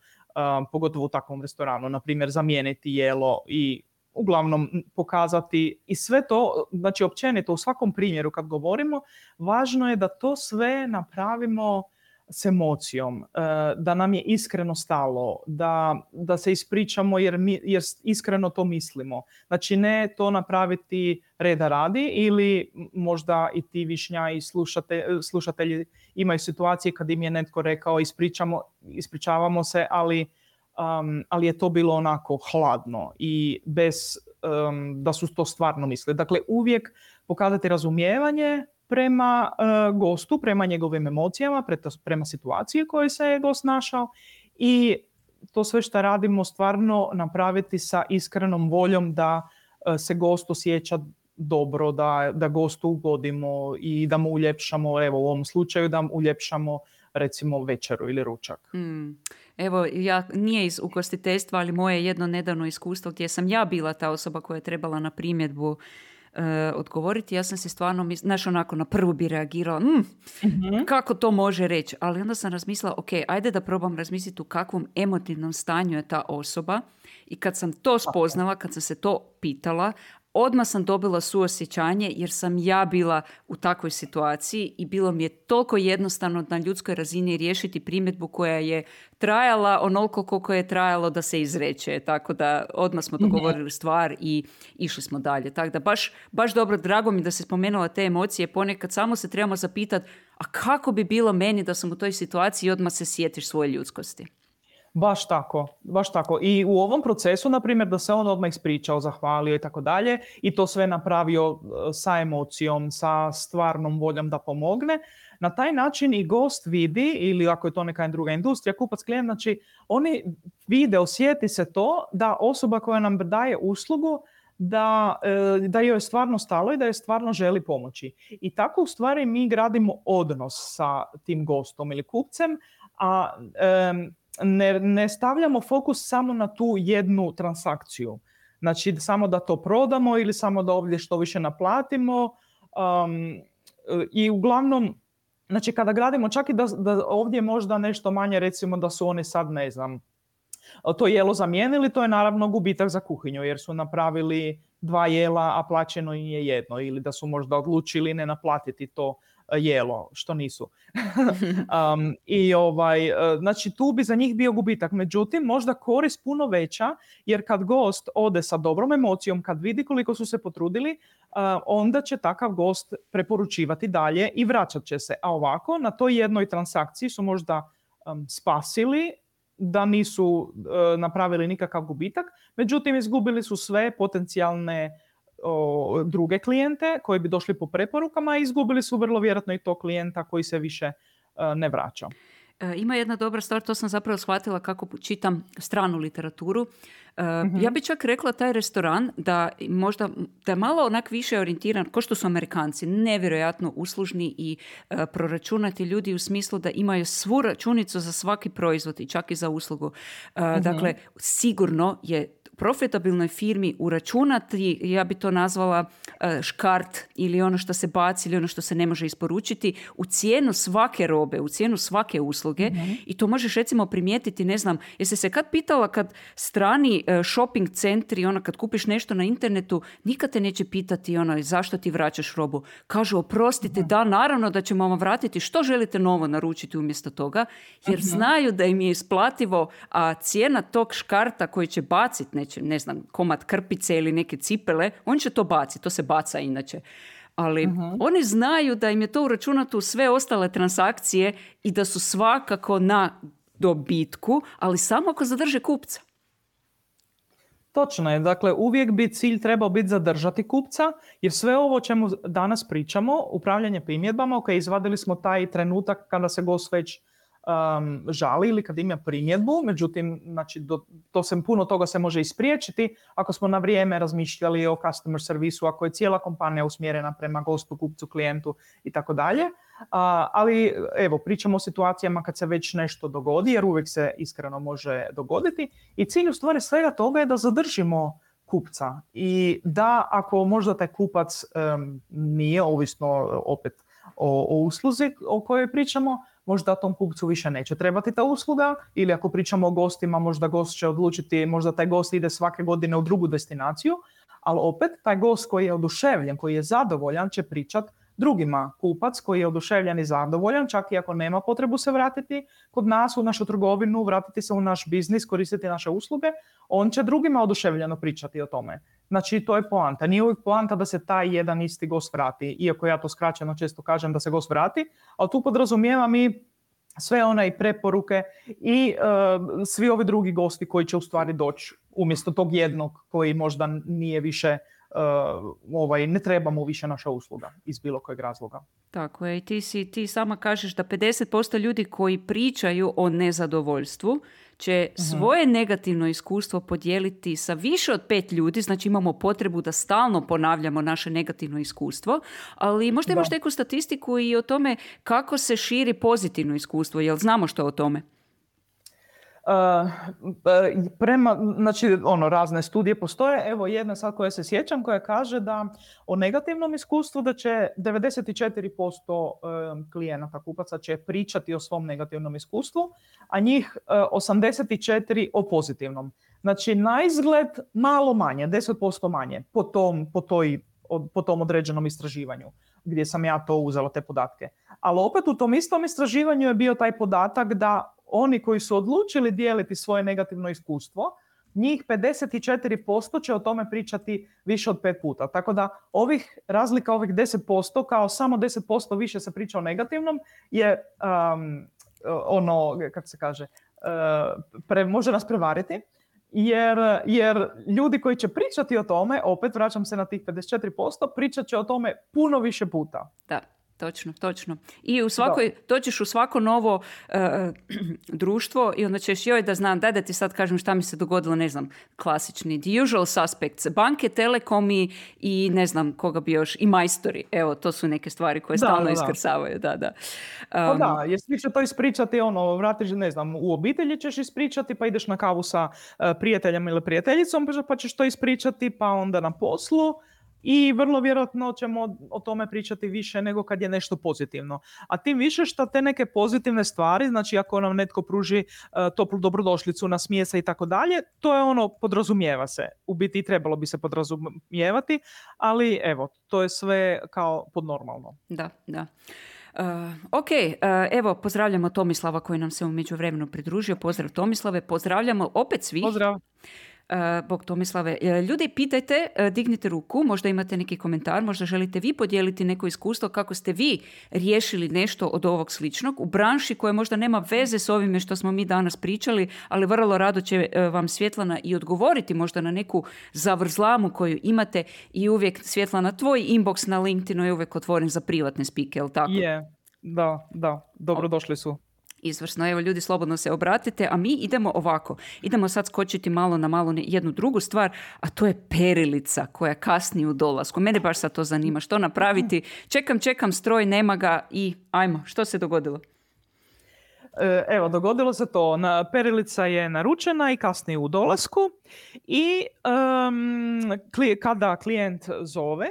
pogotovo u takvom restoranu, na primjer zamijeniti jelo i uglavnom pokazati i sve to, znači općenito u svakom primjeru kad govorimo, važno je da to sve napravimo s emocijom, da nam je iskreno stalo, da se ispričamo jer iskreno to mislimo. Znači ne to napraviti reda radi, ili možda i ti Višnja i slušatelji imaju situacije kad im je netko rekao ispričavamo se, ali je to bilo onako hladno i bez da su to stvarno mislili. Dakle, uvijek pokazati razumijevanje prema gostu, prema njegovim emocijama, prema situaciji u kojoj se je gost našao, i to sve što radimo stvarno napraviti sa iskrenom voljom da se gost osjeća dobro, da gostu ugodimo i da mu uljepšamo, evo u ovom slučaju da mu uljepšamo recimo večeru ili ručak. Evo, nije iz ugostiteljstva, ali moje jedno nedavno iskustvo gdje sam ja bila ta osoba koja je trebala na primjedbu odgovoriti. Ja sam si stvarno, onako na prvu bi reagirala, kako to može reći, ali onda sam razmislila, ok, ajde da probam razmisliti u kakvom emotivnom stanju je ta osoba, i kad sam to spoznala, kad sam se to pitala, odmah sam dobila suosjećanje jer sam ja bila u takvoj situaciji i bilo mi je toliko jednostavno na ljudskoj razini riješiti primjedbu koja je trajala onoliko koliko je trajalo da se izreče. Tako da odmah smo dogovorili stvar i išli smo dalje. Tako da baš dobro, drago mi da se spomenula te emocije. Ponekad samo se trebamo zapitati, a kako bi bilo meni da sam u toj situaciji, i odmah se sjetiš svoje ljudskosti. Baš tako. I u ovom procesu, na primjer, da se on odmah ispričao, zahvalio i tako dalje, i to sve napravio sa emocijom, sa stvarnom voljom da pomogne, na taj način i gost vidi, ili ako je to neka druga industrija, kupac, klijent, znači oni vide, osjeti se to da osoba koja nam daje uslugu, da joj je stvarno stalo i da joj stvarno želi pomoći. I tako u stvari mi gradimo odnos sa tim gostom ili kupcem, a ne stavljamo fokus samo na tu jednu transakciju. Znači samo da to prodamo ili samo da ovdje što više naplatimo. I uglavnom, znači kada gradimo, čak i da ovdje možda nešto manje, recimo da su oni sad, ne znam, to jelo zamijenili, to je naravno gubitak za kuhinju jer su napravili 2 jela, a plaćeno im je jedno, ili da su možda odlučili ne naplatiti to jelo, što nisu. Znači tu bi za njih bio gubitak. Međutim, možda korist puno veća, jer kad gost ode sa dobrom emocijom, kad vidi koliko su se potrudili, onda će takav gost preporučivati dalje i vraćat će se. A ovako, na toj jednoj transakciji su možda spasili da nisu napravili nikakav gubitak, međutim izgubili su sve potencijalne druge klijente koji bi došli po preporukama, i izgubili su vrlo vjerojatno i to klijenta koji se više ne vraća. Ima jedna dobra stvar, to sam zapravo shvatila kako čitam stranu literaturu. Ja bi čak rekla taj restoran da možda da je malo onak više orijentiran, kao što su Amerikanci, nevjerojatno uslužni i proračunati ljudi u smislu da imaju svu računicu za svaki proizvod i čak i za uslugu. Dakle, sigurno je profitabilnoj firmi uračunati, ja bi to nazvala škart ili ono što se baci ili ono što se ne može isporučiti u cijenu svake robe, u cijenu svake usluge i to možeš recimo primijetiti, ne znam, jesi se kad pitala kad strani shopping centri, kad kupiš nešto na internetu, nikad te neće pitati zašto ti vraćaš robu. Kažu, oprostite, da, naravno da ćemo vam vratiti, što želite novo naručiti umjesto toga, jer znaju da im je isplativo, a cijena tog škarta koji će baciti, ne znam, komad krpice ili neke cipele, on će to baciti, to se baca inače. Ali oni znaju da im je to uračunato u sve ostale transakcije i da su svakako na dobitku, ali samo ako zadrže kupca. Točno je. Dakle, uvijek bi cilj trebao biti zadržati kupca, jer sve ovo o čemu danas pričamo, upravljanje primjedbama, izvadili smo taj trenutak kada se gost već žali ili kad ima primjedbu, međutim, znači, puno toga se može ispriječiti ako smo na vrijeme razmišljali o customer servisu, ako je cijela kompanija usmjerena prema gostu, kupcu, klijentu i tako dalje. Ali evo, pričamo o situacijama kad se već nešto dogodi, jer uvijek se iskreno može dogoditi i cilj u stvari svega toga je da zadržimo kupca i da ako možda taj kupac nije, ovisno opet o usluzi o kojoj pričamo, možda tom kupcu više neće trebati ta usluga, ili ako pričamo o gostima, možda gost će odlučiti, možda taj gost ide svake godine u drugu destinaciju, ali opet taj gost koji je oduševljen, koji je zadovoljan, će pričat drugima. Kupac koji je oduševljen i zadovoljan, čak i ako nema potrebu se vratiti kod nas u našu trgovinu, vratiti se u naš biznis, koristiti naše usluge, on će drugima oduševljeno pričati o tome. Znači, to je poanta. Nije uvijek poanta da se taj jedan isti gost vrati, iako ja to skraćeno često kažem da se gost vrati, ali tu podrazumijevam i sve one preporuke i svi ovi drugi gosti koji će u stvari doći umjesto tog jednog koji možda nije više ne trebamo više naša usluga iz bilo kojeg razloga. Tako je, i ti sama kažeš da 50% ljudi koji pričaju o nezadovoljstvu će svoje negativno iskustvo podijeliti sa više od 5 ljudi, znači imamo potrebu da stalno ponavljamo naše negativno iskustvo, ali možda imaš neku statistiku i o tome kako se širi pozitivno iskustvo, jel znamo što o tome? Znači, razne studije postoje. Evo jedna sad koja se sjećam, koja kaže da o negativnom iskustvu da će 94% klijenata, kupaca će pričati o svom negativnom iskustvu, a njih 84% o pozitivnom. Znači, na izgled malo manje, 10% manje po tom određenom istraživanju gdje sam ja to uzela te podatke. Ali opet u tom istom istraživanju je bio taj podatak da oni koji su odlučili dijeliti svoje negativno iskustvo, njih 54% će o tome pričati više od 5 puta. Tako da razlika ovih 10%, kao samo 10% više se priča o negativnom, je kako se kaže, može nas prevariti. Jer ljudi koji će pričati o tome, opet vraćam se na tih 54%, pričat će o tome puno više puta. Da. Točno. I dođeš u svako novo društvo i onda ćeš da znam, daj da ti sad kažem šta mi se dogodilo, ne znam, klasični, the usual suspects, banke, telekomi i ne znam koga bi još, i majstori. Evo, to su neke stvari koje stalno iskrsavaju. Da. Jer svi će to ispričati, vratiš, ne znam, u obitelji ćeš ispričati, pa ideš na kavu sa prijateljem ili prijateljicom, pa ćeš to ispričati, pa onda na poslu. I vrlo vjerojatno ćemo o tome pričati više nego kad je nešto pozitivno. A tim više što te neke pozitivne stvari, znači ako nam netko pruži toplu dobrodošlicu, nasmije se i tako dalje, to je podrazumijeva se. U biti trebalo bi se podrazumijevati, ali evo, to je sve kao podnormalno. Da. Ok, evo pozdravljamo Tomislava koji nam se u međuvremenu pridružio. Pozdrav Tomislave, pozdravljamo opet svih. Pozdrav. Bog Tomislave. Ljudi, pitajte, dignite ruku, možda imate neki komentar, možda želite vi podijeliti neko iskustvo kako ste vi riješili nešto od ovog sličnog u branši koja možda nema veze s ovime što smo mi danas pričali, ali vrlo rado će vam Svjetlana i odgovoriti možda na neku zavrzlamu koju imate i uvijek, Svjetlana, tvoj inbox na LinkedInu je uvijek otvoren za privatne spike, jel tako? Da, dobrodošli su. Izvrsno, evo ljudi, slobodno se obratite, a mi idemo ovako. Idemo sad skočiti malo na jednu drugu stvar, a to je perilica koja kasni u dolasku. Mene baš sad to zanima, što napraviti. Čekam, stroj, nema ga i ajmo, što se dogodilo? Evo, dogodilo se to. Perilica je naručena i kasnije u dolasku i kada klijent zove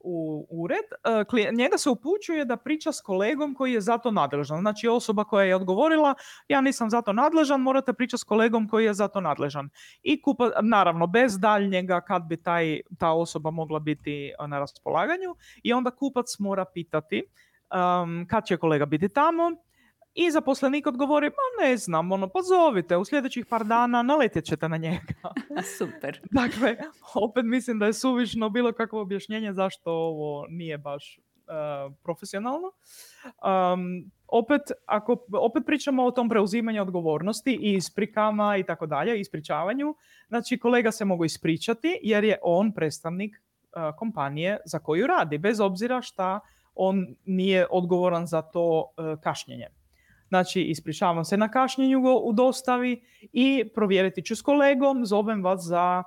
u ured, njega se upućuje da priča s kolegom koji je za to nadležan. Znači osoba koja je odgovorila, ja nisam za to nadležan, morate pričati s kolegom koji je za to nadležan. I naravno, bez daljnjega kad bi ta osoba mogla biti na raspolaganju, i onda kupac mora pitati kad će kolega biti tamo. I zaposlenik odgovori, ne znam, pozovite, u sljedećih par dana naletjet ćete na njega. Super. Dakle, opet mislim da je suvišno bilo kakvo objašnjenje zašto ovo nije baš profesionalno. Opet pričamo o tom preuzimanju odgovornosti i isprikama i tako dalje, ispričavanju. Znači, kolega se mogu ispričati jer je on predstavnik kompanije za koju radi, bez obzira šta on nije odgovoran za to kašnjenje. Znači, ispričavam se na kašnjenju u dostavi i provjeriti ću s kolegom, zovem vas za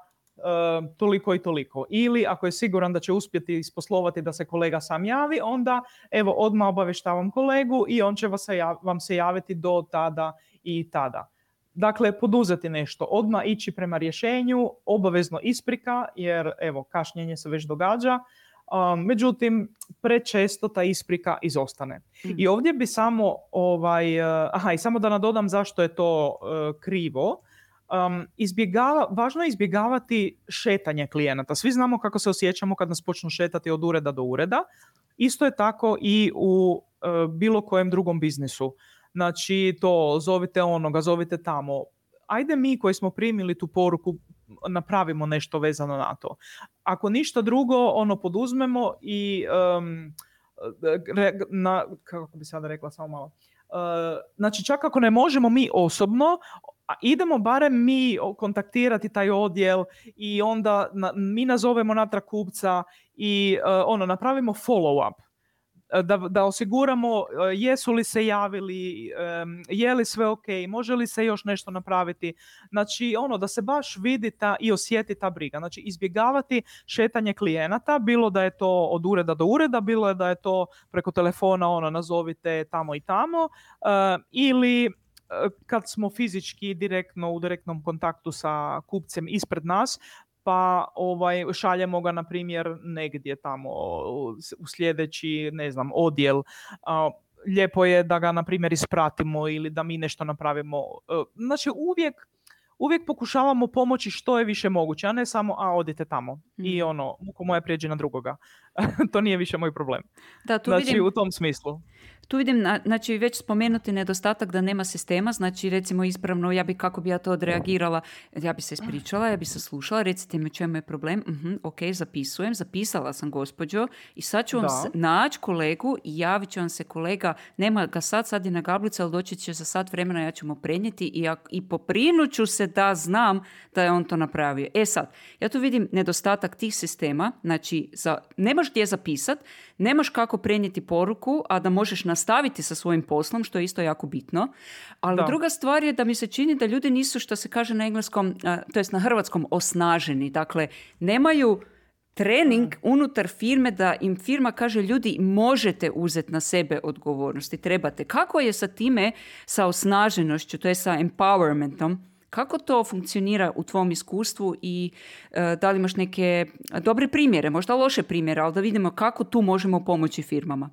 toliko i toliko. Ili ako je siguran da će uspjeti isposlovati da se kolega sam javi, onda evo odmah obavještavam kolegu i on će vam se javiti do tada i tada. Dakle, poduzeti nešto, odmah ići prema rješenju, obavezno isprika, jer evo, kašnjenje se već događa. Međutim, prečesto ta isprika izostane. I ovdje bi samo, i samo da nadodam zašto je to krivo, važno je izbjegavati šetanje klijenata. Svi znamo kako se osjećamo kad nas počnu šetati od ureda do ureda. Isto je tako i u bilo kojem drugom biznisu. Znači, to zovite onoga, zovite tamo. Ajde mi koji smo primili tu poruku, napravimo nešto vezano na to. Ako ništa drugo, poduzmemo i kako bi sada rekla, samo malo. Znači, čak ako ne možemo mi osobno, idemo barem mi kontaktirati taj odjel i onda mi nazovemo natrag kupca i napravimo follow up. Da osiguramo jesu li se javili, je li sve ok, može li se još nešto napraviti. Znači, da se baš vidi i osjeti ta briga. Znači, izbjegavati šetanje klijenata, bilo da je to od ureda do ureda, bilo da je to preko telefona, nazovite tamo i tamo, ili kad smo fizički u direktnom kontaktu sa kupcem ispred nas, pa šaljemo ga, na primjer, negdje tamo u sljedeći, odjel. Lijepo je da ga, na primjer, ispratimo ili da mi nešto napravimo. Znači, uvijek pokušavamo pomoći što je više moguće, a ne samo, odite tamo i muko moja prijeđi na drugoga. To nije više moj problem. Da, vidim, u tom smislu. Tu vidim, znači, već spomenuti nedostatak da nema sistema, znači, recimo, ispravno, kako bi ja to odreagirala, ja bi se ispričala, ja bi se slušala, recite mi u čemu je problem, ok, zapisala sam, gospođo, i sad ću vam naći kolegu i javit će vam se kolega, nema ga sad je na gablici, ali doći će za sat vremena, ja ću mu prenijeti i poprinut ću se da znam da je on to napravio. Sad, ja tu vidim nedostatak tih sistema, znači, nemaš gdje zapisat, nemaš kako prenijeti poruku, a da možeš nastaviti sa svojim poslom, što je isto jako bitno. Ali druga stvar je da mi se čini da ljudi nisu, što se kaže na engleskom, to jest na hrvatskom, osnaženi. Dakle, nemaju trening unutar firme da im firma kaže, ljudi, možete uzeti na sebe odgovornosti, trebate. Kako je sa time, sa osnaženošću, to je sa empowermentom? Kako to funkcionira u tvom iskustvu i da li imaš neke dobre primjere, možda loše primjere, ali da vidimo kako tu možemo pomoći firmama?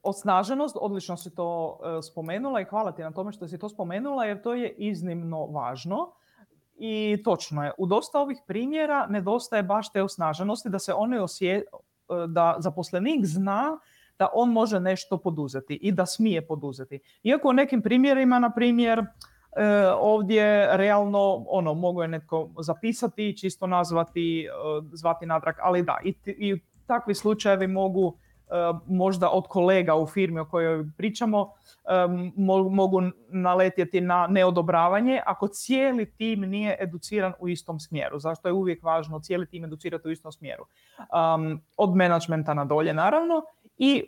Osnaženost, odlično si to spomenula i hvala ti na tome što si to spomenula, jer to je iznimno važno. I točno je, u dosta ovih primjera nedostaje baš te osnaženosti, da se da zaposlenik zna da on može nešto poduzeti i da smije poduzeti. Iako u nekim primjerima, na primjer, ovdje realno mogu je netko zapisati, čisto nazvati, zvati natrag, ali da, i takvi slučajevi mogu možda od kolega u firmi o kojoj pričamo mogu naletjeti na neodobravanje ako cijeli tim nije educiran u istom smjeru. Zašto je uvijek važno cijeli tim educirati u istom smjeru? Od menadžmenta na dolje, naravno. I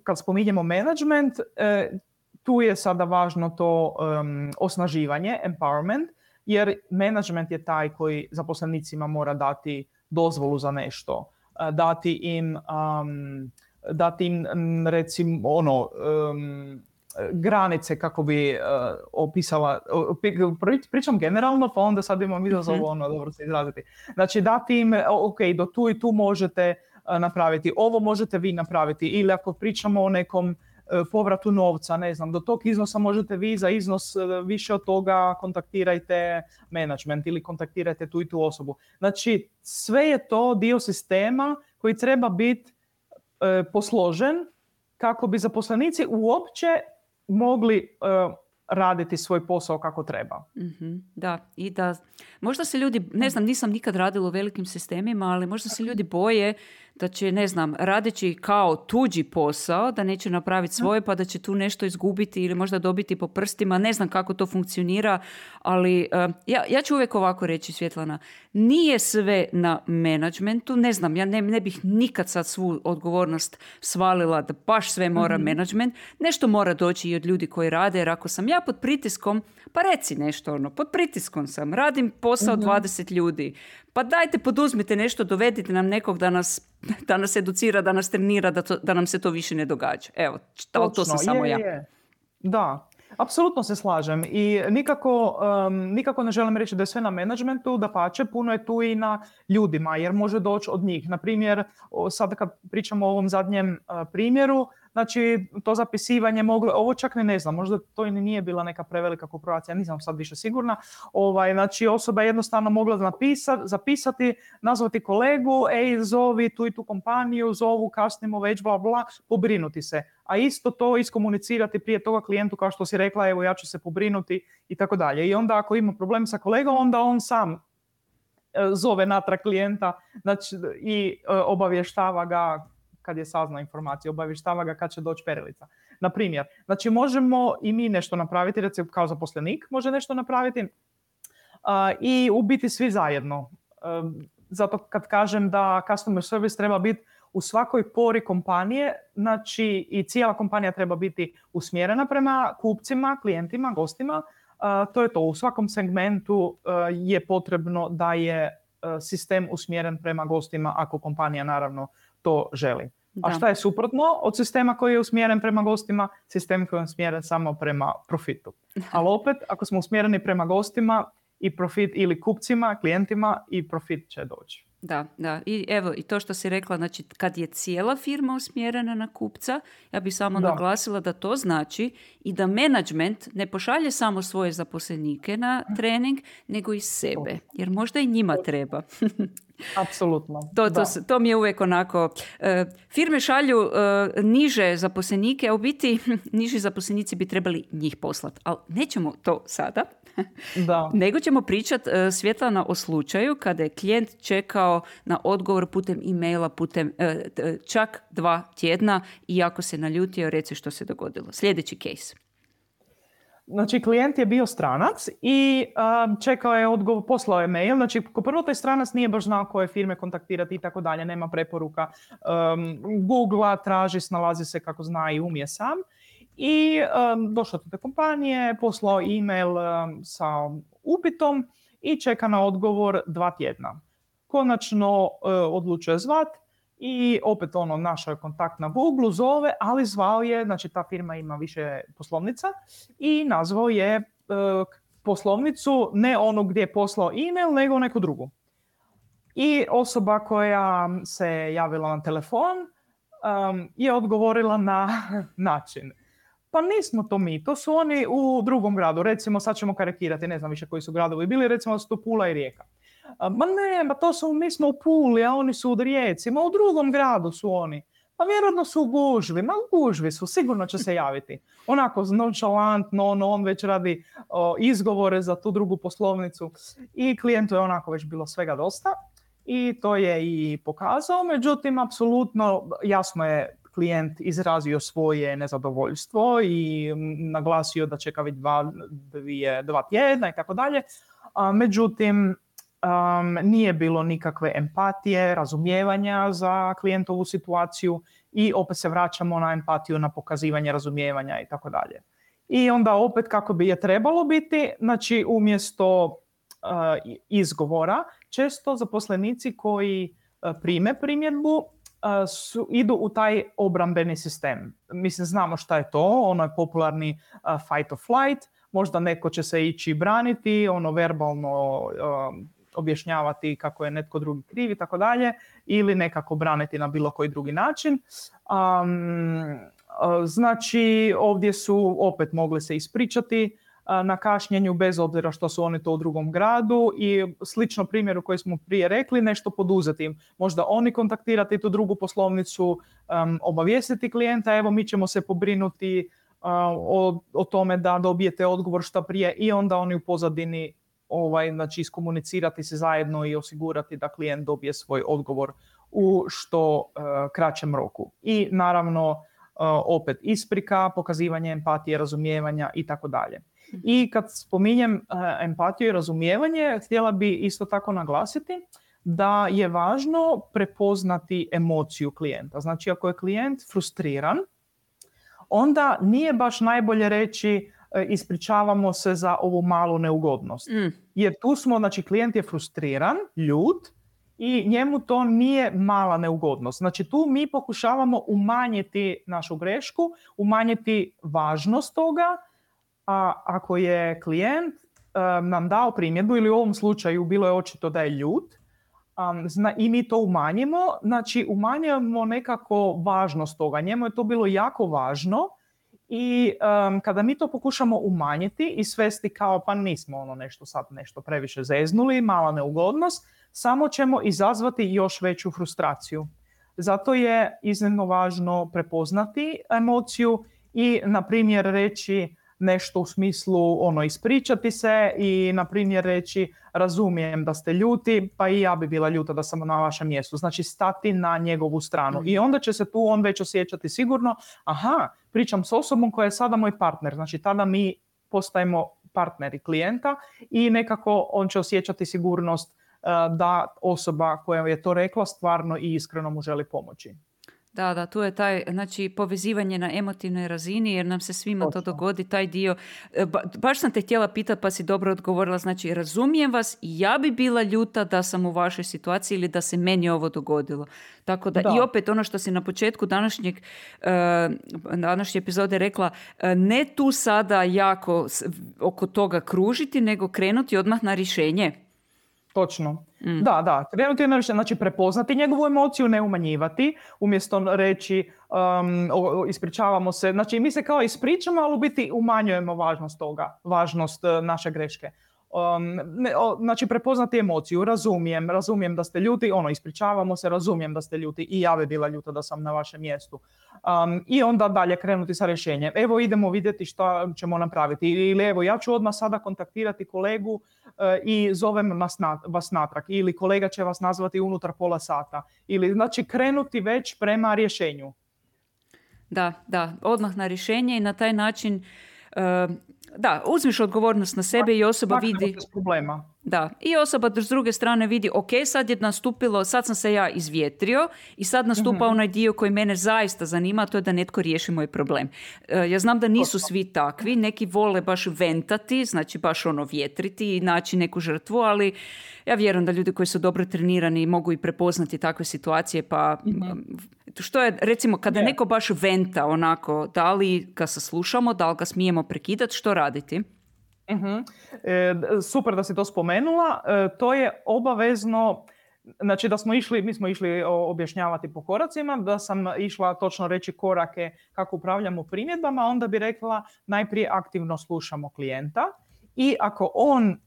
kad spominjemo menadžment, tu je sada važno to osnaživanje, empowerment, jer menadžment je taj koji zaposlenicima mora dati dozvolu za nešto, dati im dati im recimo granice kako bi opisala, pričam generalno, pa onda sad imam izazov, dobro se izraziti. Znači dati im, ok, do tu i tu možete napraviti, ovo možete vi napraviti, ili ako pričamo o nekom povratu novca, ne znam, do tog iznosa možete vi, za iznos više od toga kontaktirajte management ili kontaktirajte tu i tu osobu. Znači sve je to dio sistema koji treba biti posložen kako bi zaposlenici uopće mogli raditi svoj posao kako treba. Da, i da možda se ljudi, ne znam, nisam nikad radila u velikim sistemima, ali možda se ljudi boje da će, ne znam, radeći kao tuđi posao, da neće napraviti svoje, pa da će tu nešto izgubiti ili možda dobiti po prstima. Ne znam kako to funkcionira, ali ja ću uvijek ovako reći, Svjetlana, nije sve na menadžmentu. Ne znam, ja ne bih nikad sad svu odgovornost svalila da baš sve mora menadžment. Nešto mora doći i od ljudi koji rade, jer ako sam ja pod pritiskom, pa reci nešto, pod pritiskom sam, radim posao 20 ljudi. Pa dajte, poduzmite nešto, dovedite nam nekog da nas educira, da nas trenira, da nam se to više ne događa. Evo, to sam samo ja. Da, apsolutno se slažem i nikako ne želim reći da je sve na menadžmentu, dapače, puno je tu i na ljudima, jer može doći od njih. Na primjer, sad kad pričamo o ovom zadnjem primjeru, znači to zapisivanje moglo, ovo čak ne znam, možda to i nije bila neka prevelika korporacija, nisam sad više sigurna. Znači osoba je jednostavno mogla zapisati, nazvati kolegu, zovi tu i tu kompaniju, zovu, kasnimo već, bla bla, pobrinuti se. A isto to iskomunicirati prije toga klijentu, kao što si rekla, evo ja ću se pobrinuti i tako dalje. I onda ako ima problem sa kolegom, onda on sam zove natrag klijenta, znači, i obavještava ga kad je saznao informaciju, obavještava ga kad će doći perilica. Na primjer, znači možemo i mi nešto napraviti, recimo kao zaposlenik može nešto napraviti i u biti svi zajedno. Zato kad kažem da customer service treba biti u svakoj pori kompanije, znači i cijela kompanija treba biti usmjerena prema kupcima, klijentima, gostima, to je to. U svakom segmentu je potrebno da je sistem usmjeren prema gostima ako kompanija naravno to želi. Da. A šta je suprotno od sistema koji je usmjeren prema gostima? Sistem koji je usmjeren samo prema profitu. Ali opet, ako smo usmjereni prema gostima i profit, ili kupcima, klijentima, i profit će doći. Da. I evo, i to što si rekla, znači kad je cijela firma usmjerena na kupca, ja bih samo naglasila da to znači i da menadžment ne pošalje samo svoje zaposlenike na trening, nego i sebe, jer možda i njima treba. Apsolutno. To mi je uvijek onako. Firme šalju niže zaposlenike, a u biti niži zaposlenici bi trebali njih poslati. Ali nećemo to sada. Nego ćemo pričati, Svjetlana, o slučaju kada je klijent čekao na odgovor putem e-maila, putem čak 2 tjedna, i ako se naljutio, reci što se dogodilo. Sljedeći case. Znači, klijent je bio stranac i čekao je odgovor, poslao je mail. Znači, ko prvo taj stranac nije baš znao koje firme kontaktirati i tako dalje, nema preporuka. Googla, traži, snalazi se kako zna i umije sam. I došao do te kompanije, poslao e-mail sa upitom i čeka na odgovor 2 tjedna. Konačno odlučuje zvat i opet našao je kontakt na Google, zove, ali zvao je, znači ta firma ima više poslovnica, i nazvao je poslovnicu ne onu gdje je poslao e-mail, nego neku drugu. I osoba koja se javila na telefon je odgovorila na način: pa nismo to mi, to su oni u drugom gradu, recimo sad ćemo karikirati, ne znam više koji su gradovi bili, recimo su to Pula i Rijeka. Ma ne, mi smo u Puli, a oni su u Rijeci, u drugom gradu su oni. Pa vjerojatno su u gužvi, u gužvi su, sigurno će se javiti. Onako nonchalantno, on već radi izgovore za tu drugu poslovnicu i klijentu je onako već bilo svega dosta i to je i pokazao. Međutim, apsolutno jasno je klijent izrazio svoje nezadovoljstvo i naglasio da čeka već 2 tjedna i tako dalje. Međutim, nije bilo nikakve empatije, razumijevanja za klijentovu situaciju i opet se vraćamo na empatiju, na pokazivanje razumijevanja i tako dalje. I onda opet kako bi je trebalo biti, znači umjesto izgovora, često zaposlenici koji prime primjedbu idu u taj obrambeni sistem. Mislim, znamo šta je to, ono je popularni fight or flight, možda neko će se ići braniti, ono verbalno objašnjavati kako je netko drugi kriv i tako dalje, ili nekako braniti na bilo koji drugi način. Znači, ovdje su opet mogli se ispričati na kašnjenju bez obzira što su oni to u drugom gradu i slično primjeru koji smo prije rekli, nešto poduzeti. Možda oni kontaktirati tu drugu poslovnicu, obavijestiti klijenta, evo mi ćemo se pobrinuti o tome da dobijete odgovor što prije i onda oni u pozadini znači iskomunicirati se zajedno i osigurati da klijent dobije svoj odgovor u što kraćem roku. I naravno opet isprika, pokazivanje empatije, razumijevanja i tako dalje. I kad spominjem empatiju i razumijevanje, htjela bi isto tako naglasiti da je važno prepoznati emociju klijenta. Znači, ako je klijent frustriran, onda nije baš najbolje reći ispričavamo se za ovu malu neugodnost. Jer tu smo, znači, klijent je frustriran, ljut i njemu to nije mala neugodnost. Znači, tu mi pokušavamo umanjiti našu grešku, umanjiti važnost toga, a ako je klijent nam dao primjedbu ili u ovom slučaju bilo je očito da je ljut i mi to umanjimo, znači umanjujemo nekako važnost toga. Njemu je to bilo jako važno i kada mi to pokušamo umanjiti i svesti kao pa nismo nešto previše zeznuli, mala neugodnost, samo ćemo izazvati još veću frustraciju. Zato je iznimno važno prepoznati emociju i na primjer reći nešto u smislu ispričati se i na primjer reći razumijem da ste ljuti, pa i ja bi bila ljuta da sam na vašem mjestu. Znači stati na njegovu stranu. I onda će se tu on već osjećati sigurno, pričam s osobom koja je sada moj partner. Znači tada mi postajemo partneri klijenta i nekako on će osjećati sigurnost da osoba koja je to rekla stvarno i iskreno mu želi pomoći. Da, tu je taj, znači, povezivanje na emotivnoj razini, jer nam se svima to dogodi, taj dio. Baš sam te htjela pitati, pa si dobro odgovorila, znači, razumijem vas i ja bi bila ljuta da sam u vašoj situaciji ili da se meni ovo dogodilo. Tako da, i opet ono što si na početku današnje epizode rekla, ne tu sada jako oko toga kružiti, nego krenuti odmah na rješenje. Točno. Da. Krenuti na rješenje, znači prepoznati njegovu emociju, ne umanjivati, umjesto reći ispričavamo se. Znači mi se kao ispričamo, ali u biti umanjujemo važnost toga, važnost naše greške. Znači prepoznati emociju, razumijem da ste ljuti, ispričavamo se, razumijem da ste ljuti i ja bi bila ljuta da sam na vašem mjestu. I onda dalje krenuti sa rješenjem. Evo idemo vidjeti što ćemo napraviti. Ili evo ja ću odmah sada kontaktirati kolegu i zovem vas natrag. Ili kolega će vas nazvati unutar pola sata. Ili znači krenuti već prema rješenju. Da, odmah na rješenje i na taj način uzmiš odgovornost na sebe i osoba vidi problema. Da, i osoba s druge strane vidi, ok, sad je nastupilo, sad sam se ja izvjetrio i sad nastupa onaj dio koji mene zaista zanima, a to je da netko riješi moj problem. Ja znam da nisu svi takvi, neki vole baš ventati, znači baš vjetriti i naći neku žrtvu, ali ja vjerujem da ljudi koji su dobro trenirani mogu i prepoznati takve situacije, pa što je, recimo, kada neko baš venta onako, da li ga saslušamo, da li ga smijemo prekidati, što raditi? Super da si to spomenula. To je obavezno, znači da mi smo išli objašnjavati po koracima, da sam išla točno reći korake kako upravljamo primjedbama, onda bi rekla najprije aktivno slušamo klijenta i ako on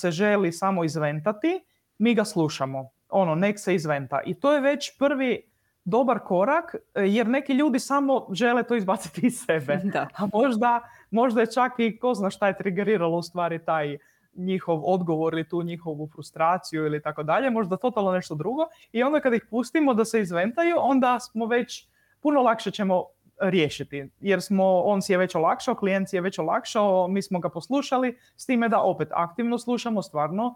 se želi samo izventati, mi ga slušamo. Nek se izventa. I to je već prvi dobar korak, jer neki ljudi samo žele to izbaciti iz sebe. Da. A možda je čak i ko zna šta je triggeriralo u stvari taj njihov odgovor ili tu njihovu frustraciju ili tako dalje, možda totalno nešto drugo. I onda kad ih pustimo da se izventaju, onda smo već puno lakše ćemo riješiti. Jer on si je već olakšao, klijent si je već olakšao, mi smo ga poslušali, s time da opet aktivno slušamo, stvarno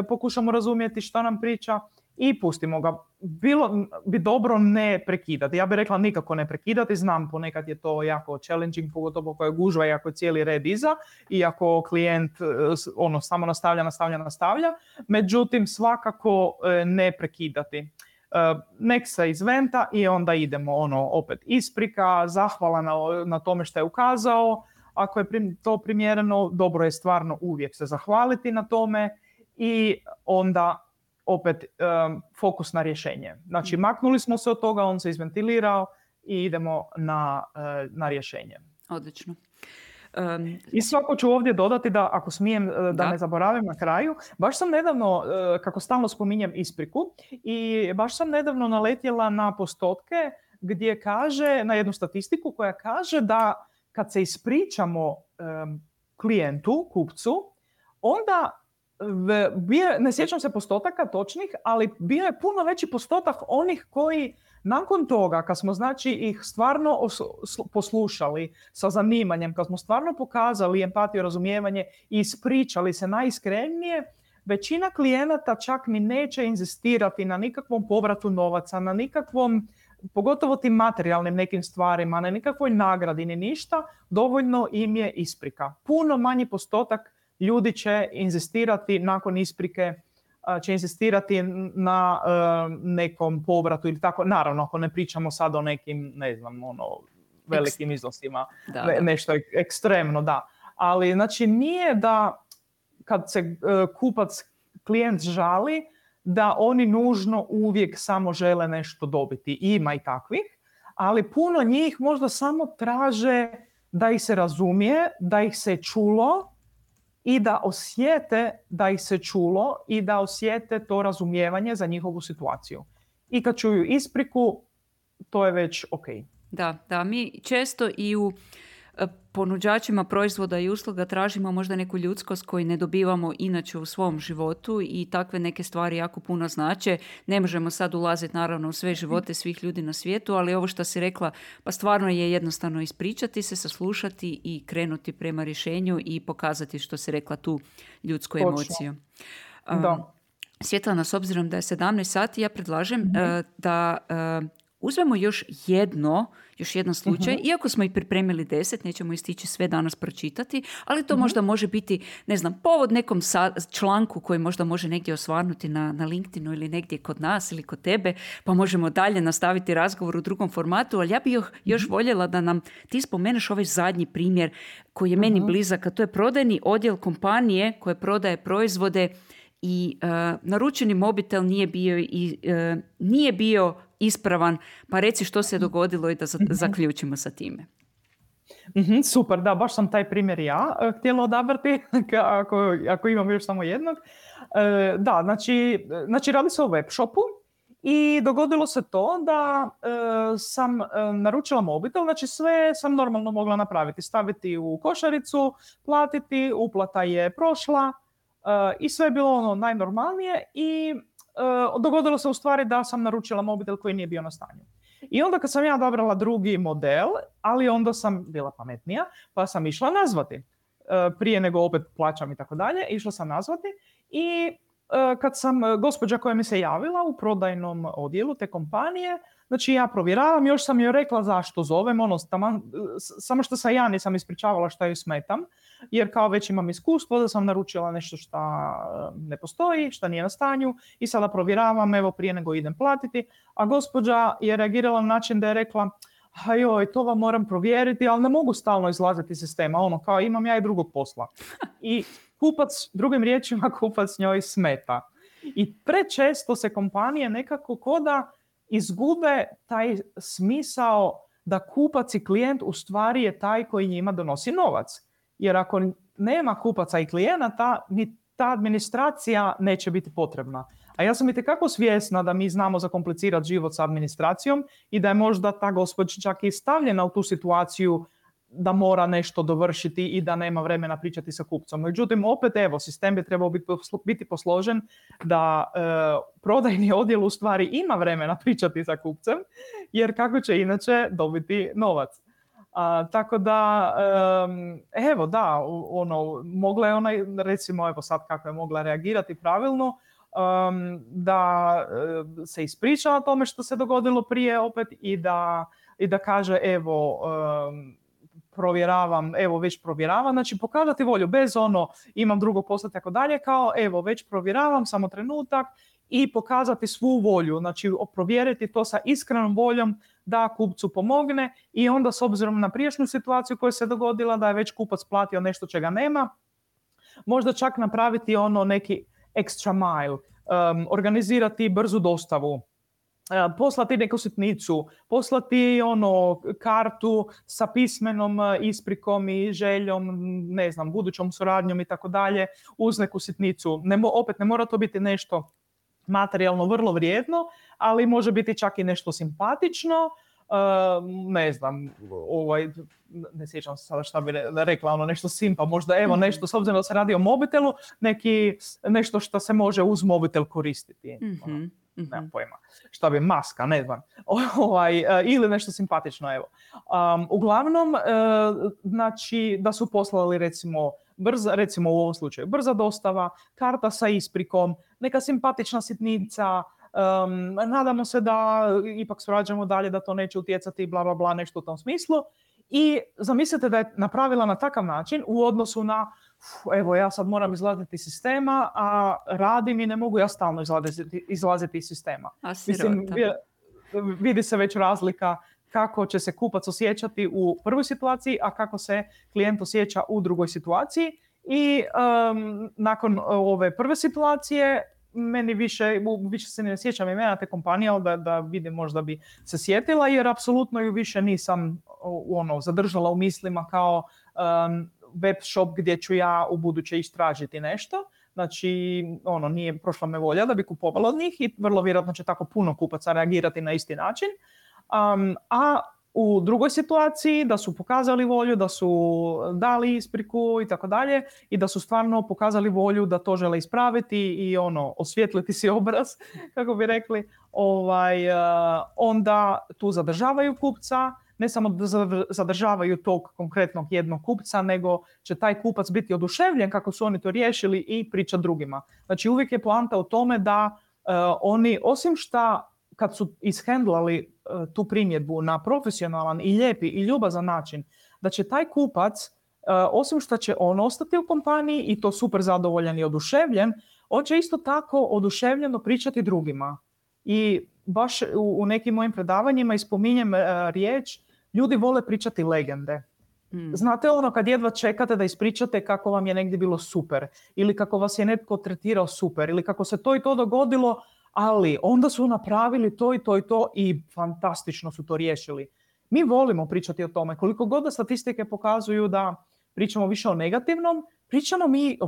pokušamo razumjeti što nam priča i pustimo ga. Bilo bi dobro ne prekidati. Ja bih rekla nikako ne prekidati. Znam, ponekad je to jako challenging, pogotovo ako je gužva i ako je cijeli red iza i ako klijent samo nastavlja. Međutim, svakako ne prekidati. nek se izventa i onda idemo opet isprika, zahvala na tome što je ukazao. Ako je to primjereno, dobro je stvarno uvijek se zahvaliti na tome i onda opet fokus na rješenje. Znači, maknuli smo se od toga, on se izventilirao i idemo na rješenje. Odlično. I svako ću ovdje dodati da, ako smijem, da ne zaboravim na kraju, baš sam nedavno, kako stalno spominjem ispriku, i baš sam nedavno naletjela na postotke gdje kaže, na jednu statistiku koja kaže da kad se ispričamo klijentu, kupcu, onda ne sjećam se postotaka točnih, ali bio je puno veći postotak onih koji nakon toga, kad smo znači ih stvarno poslušali sa zanimanjem, kad smo stvarno pokazali empatiju, razumijevanje i ispričali se najiskrenije, većina klijenata čak ni neće inzistirati na nikakvom povratu novaca, na nikakvom, pogotovo tim materijalnim nekim stvarima, na nikakvoj nagradi ni ništa, dovoljno im je isprika. Puno manji postotak ljudi će inzistirati nakon isprike, će inzistirati na nekom povratu ili tako. Naravno, ako ne pričamo sad o nekim, ne znam, velikim iznosima, nešto ekstremno, da. Ali, znači, nije da kad se klijent žali, da oni nužno uvijek samo žele nešto dobiti. Ima i takvih, ali puno njih možda samo traže da ih se razumije, da ih se čulo i da osjete da ih se čulo i da osjete to razumijevanje za njihovu situaciju. I kad čuju ispriku, to je već ok. Da, mi često i u ponuđačima proizvoda i usluga tražimo možda neku ljudskost koju ne dobivamo inače u svom životu i takve neke stvari jako puno znače. Ne možemo sad ulaziti naravno u sve živote svih ljudi na svijetu, ali ovo što si rekla, pa stvarno je jednostavno ispričati se, saslušati i krenuti prema rješenju i pokazati, što si rekla, tu ljudsku emociju. Svjetlana, s obzirom da je 17 sati, ja predlažem da uzmemo još jedan slučaj, iako smo ih pripremili 10, nećemo ih stići sve danas pročitati, ali to možda može biti, ne znam, povod nekom članku koji možda može negdje osvarnuti na LinkedInu ili negdje kod nas ili kod tebe, pa možemo dalje nastaviti razgovor u drugom formatu, ali ja bih još voljela da nam ti spomeneš ovaj zadnji primjer koji je meni blizak, a to je prodajni odjel kompanije koje prodaje proizvode i naručeni mobitel nije bio ispravan, pa reci što se dogodilo i da zaključimo sa time. Super, da, baš sam taj primjer ja htjela odabrati, ako imam još samo jednog. Da, znači radi se o web shopu i dogodilo se to da sam naručila mobitel, znači sve sam normalno mogla napraviti, staviti u košaricu, platiti, uplata je prošla i sve je bilo najnormalnije i dogodilo se u stvari da sam naručila mobitel koji nije bio na stanju. I onda kad sam ja odabrala drugi model, ali onda sam bila pametnija, pa sam išla nazvati. Prije nego opet plaćam i tako dalje, išla sam nazvati i kad sam gospođa koja mi se javila u prodajnom odjelu te kompanije, znači ja provjeravam, još sam joj rekla zašto zovem, samo što sam ja nisam ispričavala šta joj smetam, jer kao već imam iskustvo da sam naručila nešto što ne postoji, što nije na stanju i sada provjeravam, evo prije nego idem platiti, a gospođa je reagirala na način da je rekla, joj, to vam moram provjeriti, ali ne mogu stalno izlaziti iz sistema, kao imam ja i drugog posla. I drugim riječima, kupac njoj smeta. I prečesto se kompanije nekako koda izgube taj smisao da kupac i klijent u stvari je taj koji njima donosi novac. Jer ako nema kupaca i klijenata, ni ta administracija neće biti potrebna. A ja sam itekako svjesna da mi znamo zakomplicirati život sa administracijom i da je možda ta gospođa čak i stavljena u tu situaciju da mora nešto dovršiti i da nema vremena pričati sa kupcom. Međutim, opet, sistem bi trebao biti posložen da prodajni odjel u stvari ima vremena pričati sa kupcem, jer kako će inače dobiti novac. Tako da, mogla je ona, recimo, sad kako je mogla reagirati pravilno, da se ispriča o tome što se dogodilo prije opet i da kaže, već provjeravam, znači pokazati volju bez imam drugo posla tako dalje, kao već provjeravam, samo trenutak i pokazati svu volju, znači provjeriti to sa iskrenom voljom da kupcu pomogne i onda s obzirom na prijašnju situaciju koja se dogodila da je već kupac platio nešto čega nema, možda čak napraviti neki extra mile, organizirati brzu dostavu, poslati neku sitnicu, poslati kartu sa pismenom isprikom i željom, ne znam, budućom suradnjom i tako dalje, uz neku sitnicu. Opet ne mora to biti nešto materijalno vrlo vrijedno, ali može biti čak i nešto simpatično, ne znam, ne sjećam se sada šta bi rekla, nešto simpa, možda nešto, s obzirom da se radi o mobitelu, nešto što se može uz mobitel koristiti. Nemam pojma. Šta bi, maska, ne znam. Ili nešto simpatično, evo. Uglavnom, znači, da su poslali recimo u ovom slučaju brza dostava, karta sa isprikom, neka simpatična sitnica, nadamo se da ipak surađujemo dalje, da to neće utjecati, bla, bla, bla, nešto u tom smislu. I zamislite da je napravila na takav način u odnosu na evo, ja sad moram izlaziti iz sistema, a radim i ne mogu ja stalno izlaziti iz sistema. Mislim, vidi se već razlika kako će se kupac osjećati u prvoj situaciji, a kako se klijent osjeća u drugoj situaciji. I nakon ove prve situacije, meni više se ne sjećam imena te kompanije, ali da vidim, možda bi se sjetila, jer apsolutno ju više nisam zadržala u mislima kao web shop gdje ću ja u buduće istražiti nešto. Znači, nije prošla me volja da bi kupovala od njih i vrlo vjerojatno će tako puno kupaca reagirati na isti način. A u drugoj situaciji da su pokazali volju, da su dali ispriku i tako dalje i da su stvarno pokazali volju da to žele ispraviti i osvijetliti si obraz, kako bi rekli, onda tu zadržavaju kupca. Ne samo da zadržavaju tog konkretnog jednog kupca, nego će taj kupac biti oduševljen kako su oni to riješili i priča drugima. Znači uvijek je poanta u tome da oni, osim šta kad su ishendlali tu primjedbu na profesionalan i lijepi i ljubazan način, da će taj kupac, osim što će on ostati u kompaniji i to super zadovoljan i oduševljen, on će isto tako oduševljeno pričati drugima. I baš u nekim mojim predavanjima spominjem riječ, ljudi vole pričati legende. Znate kad jedva čekate da ispričate kako vam je negdje bilo super, ili kako vas je netko tretirao super, ili kako se to i to dogodilo, ali onda su napravili to i to i to i fantastično su to riješili. Mi volimo pričati o tome. Koliko god da statistike pokazuju da pričamo više o negativnom, pričamo mi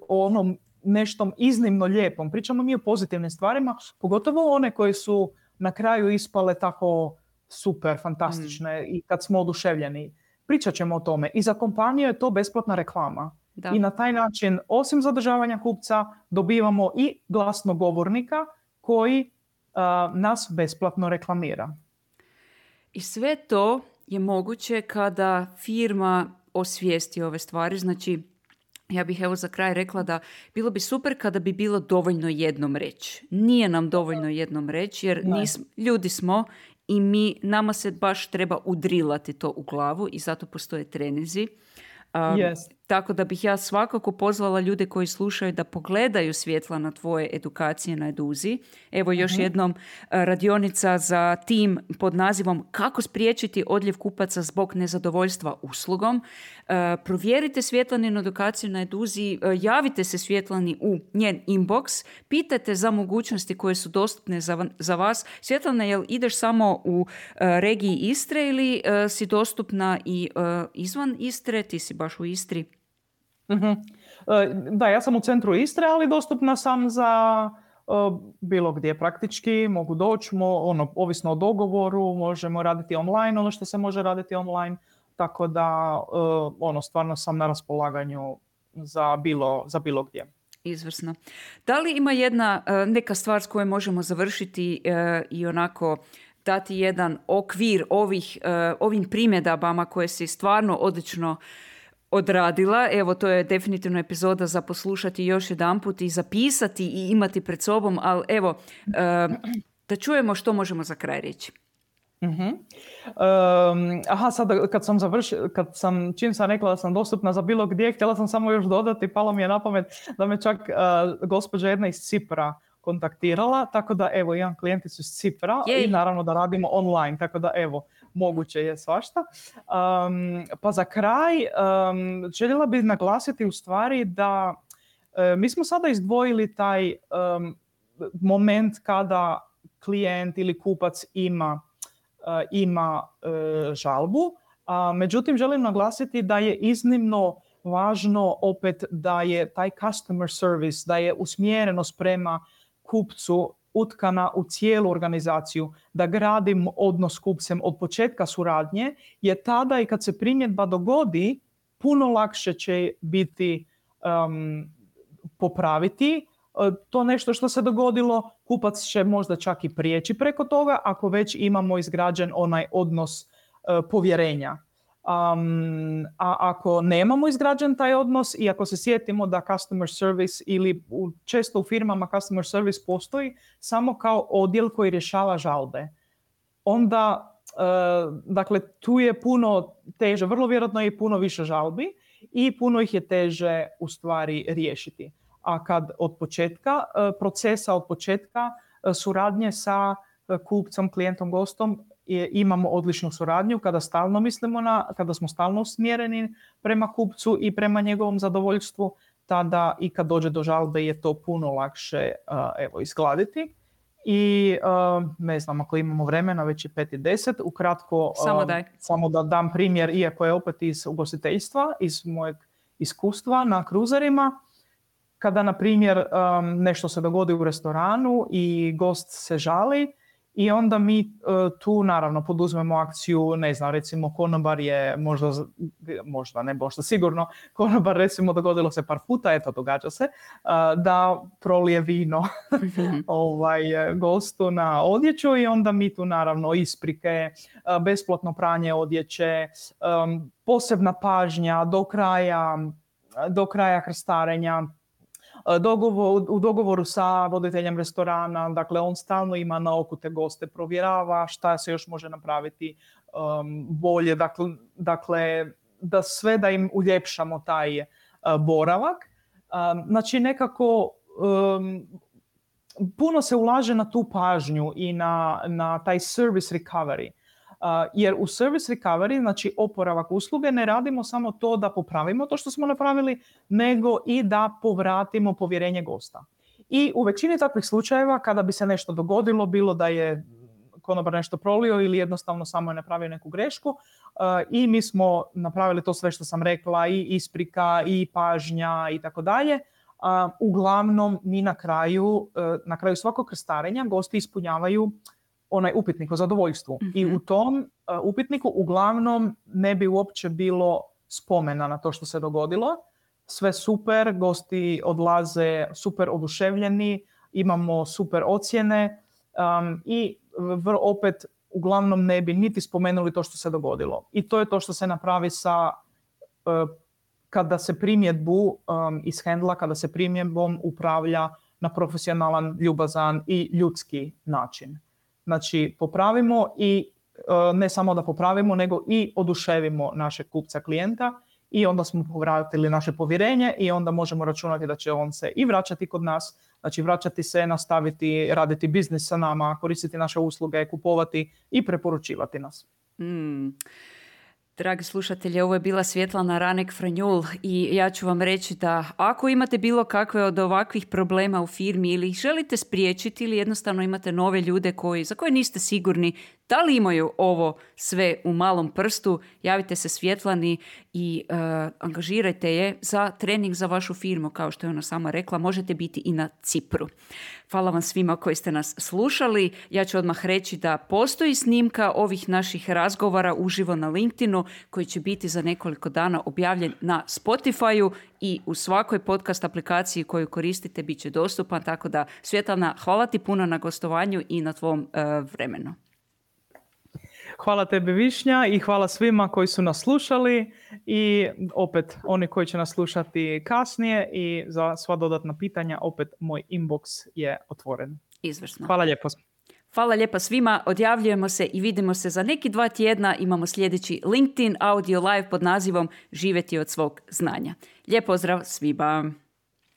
o onom nešto iznimno lijepom. Pričamo mi o pozitivnim stvarima, pogotovo one koje su na kraju ispale tako super, fantastične i kad smo oduševljeni. Pričat ćemo o tome. I za kompaniju je to besplatna reklama. Da. I na taj način, osim zadržavanja kupca, dobivamo i glasnogovornika koji nas besplatno reklamira. I sve to je moguće kada firma osvijesti ove stvari. Znači, ja bih evo za kraj rekla da bilo bi super kada bi bilo dovoljno jednom reći. Nije nam dovoljno jednom reći jer ljudi smo i nama se baš treba udrilati to u glavu i zato postoje treninzi. Tako da bih ja svakako pozvala ljude koji slušaju da pogledaju Svjetlana tvoje edukacije na Eduzi. Evo još jednom radionica za tim pod nazivom Kako spriječiti odljev kupaca zbog nezadovoljstva uslugom. Provjerite Svjetlaninu edukaciju na Eduzi, javite se Svjetlani u njen inbox, pitajte za mogućnosti koje su dostupne za vas. Svjetlana, jel ideš samo u regiji Istre ili si dostupna i izvan Istre? Ti si baš u Istri. Da, ja sam u centru Istre, ali dostupna sam za bilo gdje praktički. Mogu doći, ovisno o dogovoru, možemo raditi online, ono što se može raditi online, tako da stvarno sam na raspolaganju za bilo gdje. Izvrsno. Da li ima neka stvar s kojom možemo završiti i onako dati jedan okvir ovim primjedabama koje si stvarno odlično odradila? Evo, to je definitivno epizoda za poslušati još jedanput i zapisati i imati pred sobom, ali evo, da čujemo što možemo za kraj reći. Sad čim sam rekla da sam dostupna za bilo gdje, htjela sam samo još dodati, palo mi je na pamet da me čak gospođa jedna iz Cipra kontaktirala, tako da evo imam klijenticu iz Cipra i naravno da radimo online, tako da evo moguće je svašta. Pa za kraj željela bih naglasiti u stvari da mi smo sada izdvojili taj moment kada klijent ili kupac ima žalbu. Međutim, želim naglasiti da je iznimno važno opet da je taj customer service, da je usmjerenost prema kupcu utkana u cijelu organizaciju, da gradim odnos s kupcem od početka suradnje, je tada i kad se primjedba dogodi, puno lakše će biti popraviti to nešto što se dogodilo. Kupac će možda čak i prijeći preko toga ako već imamo izgrađen onaj odnos povjerenja. A ako nemamo izgrađen taj odnos i ako se sjetimo da customer service ili često u firmama customer service postoji samo kao odjel koji rješava žalbe, onda dakle tu je puno teže, vrlo vjerojatno je puno više žalbi i puno ih je teže u stvari riješiti. A kad od početka procesa, od početka suradnje sa kupcem, klijentom, gostom imamo odličnu suradnju, kada smo stalno usmjereni prema kupcu i prema njegovom zadovoljstvu, tada i kad dođe do žalbe je to puno lakše izgladiti. I ne znam, ako imamo vremena, već je 5:10, ukratko samo da dam primjer, iako je opet iz ugostiteljstva, iz mojeg iskustva na kruzerima. Kada, na primjer, nešto se dogodi u restoranu i gost se žali i onda mi tu naravno poduzmemo akciju, ne znam, recimo konobar je možda sigurno, konobar recimo dogodilo se par puta, eto događa se, da prolije vino gostu na odjeću i onda mi tu naravno isprike, besplatno pranje odjeće, posebna pažnja do kraja krstarenja, u dogovoru sa voditeljem restorana, dakle on stalno ima na oku te goste, provjerava šta se još može napraviti bolje, dakle da sve da im uljepšamo taj boravak. Znači nekako puno se ulaže na tu pažnju i na taj service recovery. Jer u service recovery, znači oporavak usluge, ne radimo samo to da popravimo to što smo napravili, nego i da povratimo povjerenje gosta. I u većini takvih slučajeva kada bi se nešto dogodilo, bilo da je konobar nešto prolio ili jednostavno samo je napravio neku grešku i mi smo napravili to sve što sam rekla, i isprika i pažnja i tako dalje, uglavnom mi na kraju svakog krstarenja gosti ispunjavaju onaj upitnik o zadovoljstvu. Mm-hmm. I u tom upitniku uglavnom ne bi uopće bilo spomena na to što se dogodilo. Sve super, gosti odlaze super oduševljeni, imamo super ocjene i opet uglavnom ne bi niti spomenuli to što se dogodilo. I to je to što se napravi kada se primjedbu ishendla, kada se primjedbom upravlja na profesionalan, ljubazan i ljudski način. Znači, popravimo i ne samo da popravimo, nego i oduševimo našeg kupca, klijenta i onda smo povratili naše povjerenje i onda možemo računati da će on se i vraćati kod nas, znači vraćati se, nastaviti raditi biznis sa nama, koristiti naše usluge, kupovati i preporučivati nas. Dragi slušatelji, ovo je bila Svjetlana Ranek-Franjul i ja ću vam reći da ako imate bilo kakve od ovakvih problema u firmi ili ih želite spriječiti ili jednostavno imate nove ljude za koje niste sigurni da li imaju ovo sve u malom prstu, javite se Svjetlani i angažirajte je za trening za vašu firmu, kao što je ona sama rekla, možete biti i na Cipru. Hvala vam svima koji ste nas slušali. Ja ću odmah reći da postoji snimka ovih naših razgovora uživo na LinkedInu koji će biti za nekoliko dana objavljen na Spotify-u i u svakoj podcast aplikaciji koju koristite bit će dostupan, tako da Svjetlana, hvala ti puno na gostovanju i na tvom vremenu. Hvala tebi Višnja i hvala svima koji su nas slušali i opet oni koji će nas slušati kasnije i za sva dodatna pitanja opet moj inbox je otvoren. Izvrsno. Hvala lijepo. Hvala lijepa svima, odjavljujemo se i vidimo se za neki 2 tjedna. Imamo sljedeći LinkedIn Audio Live pod nazivom Živjeti od svog znanja. Lijep pozdrav svima.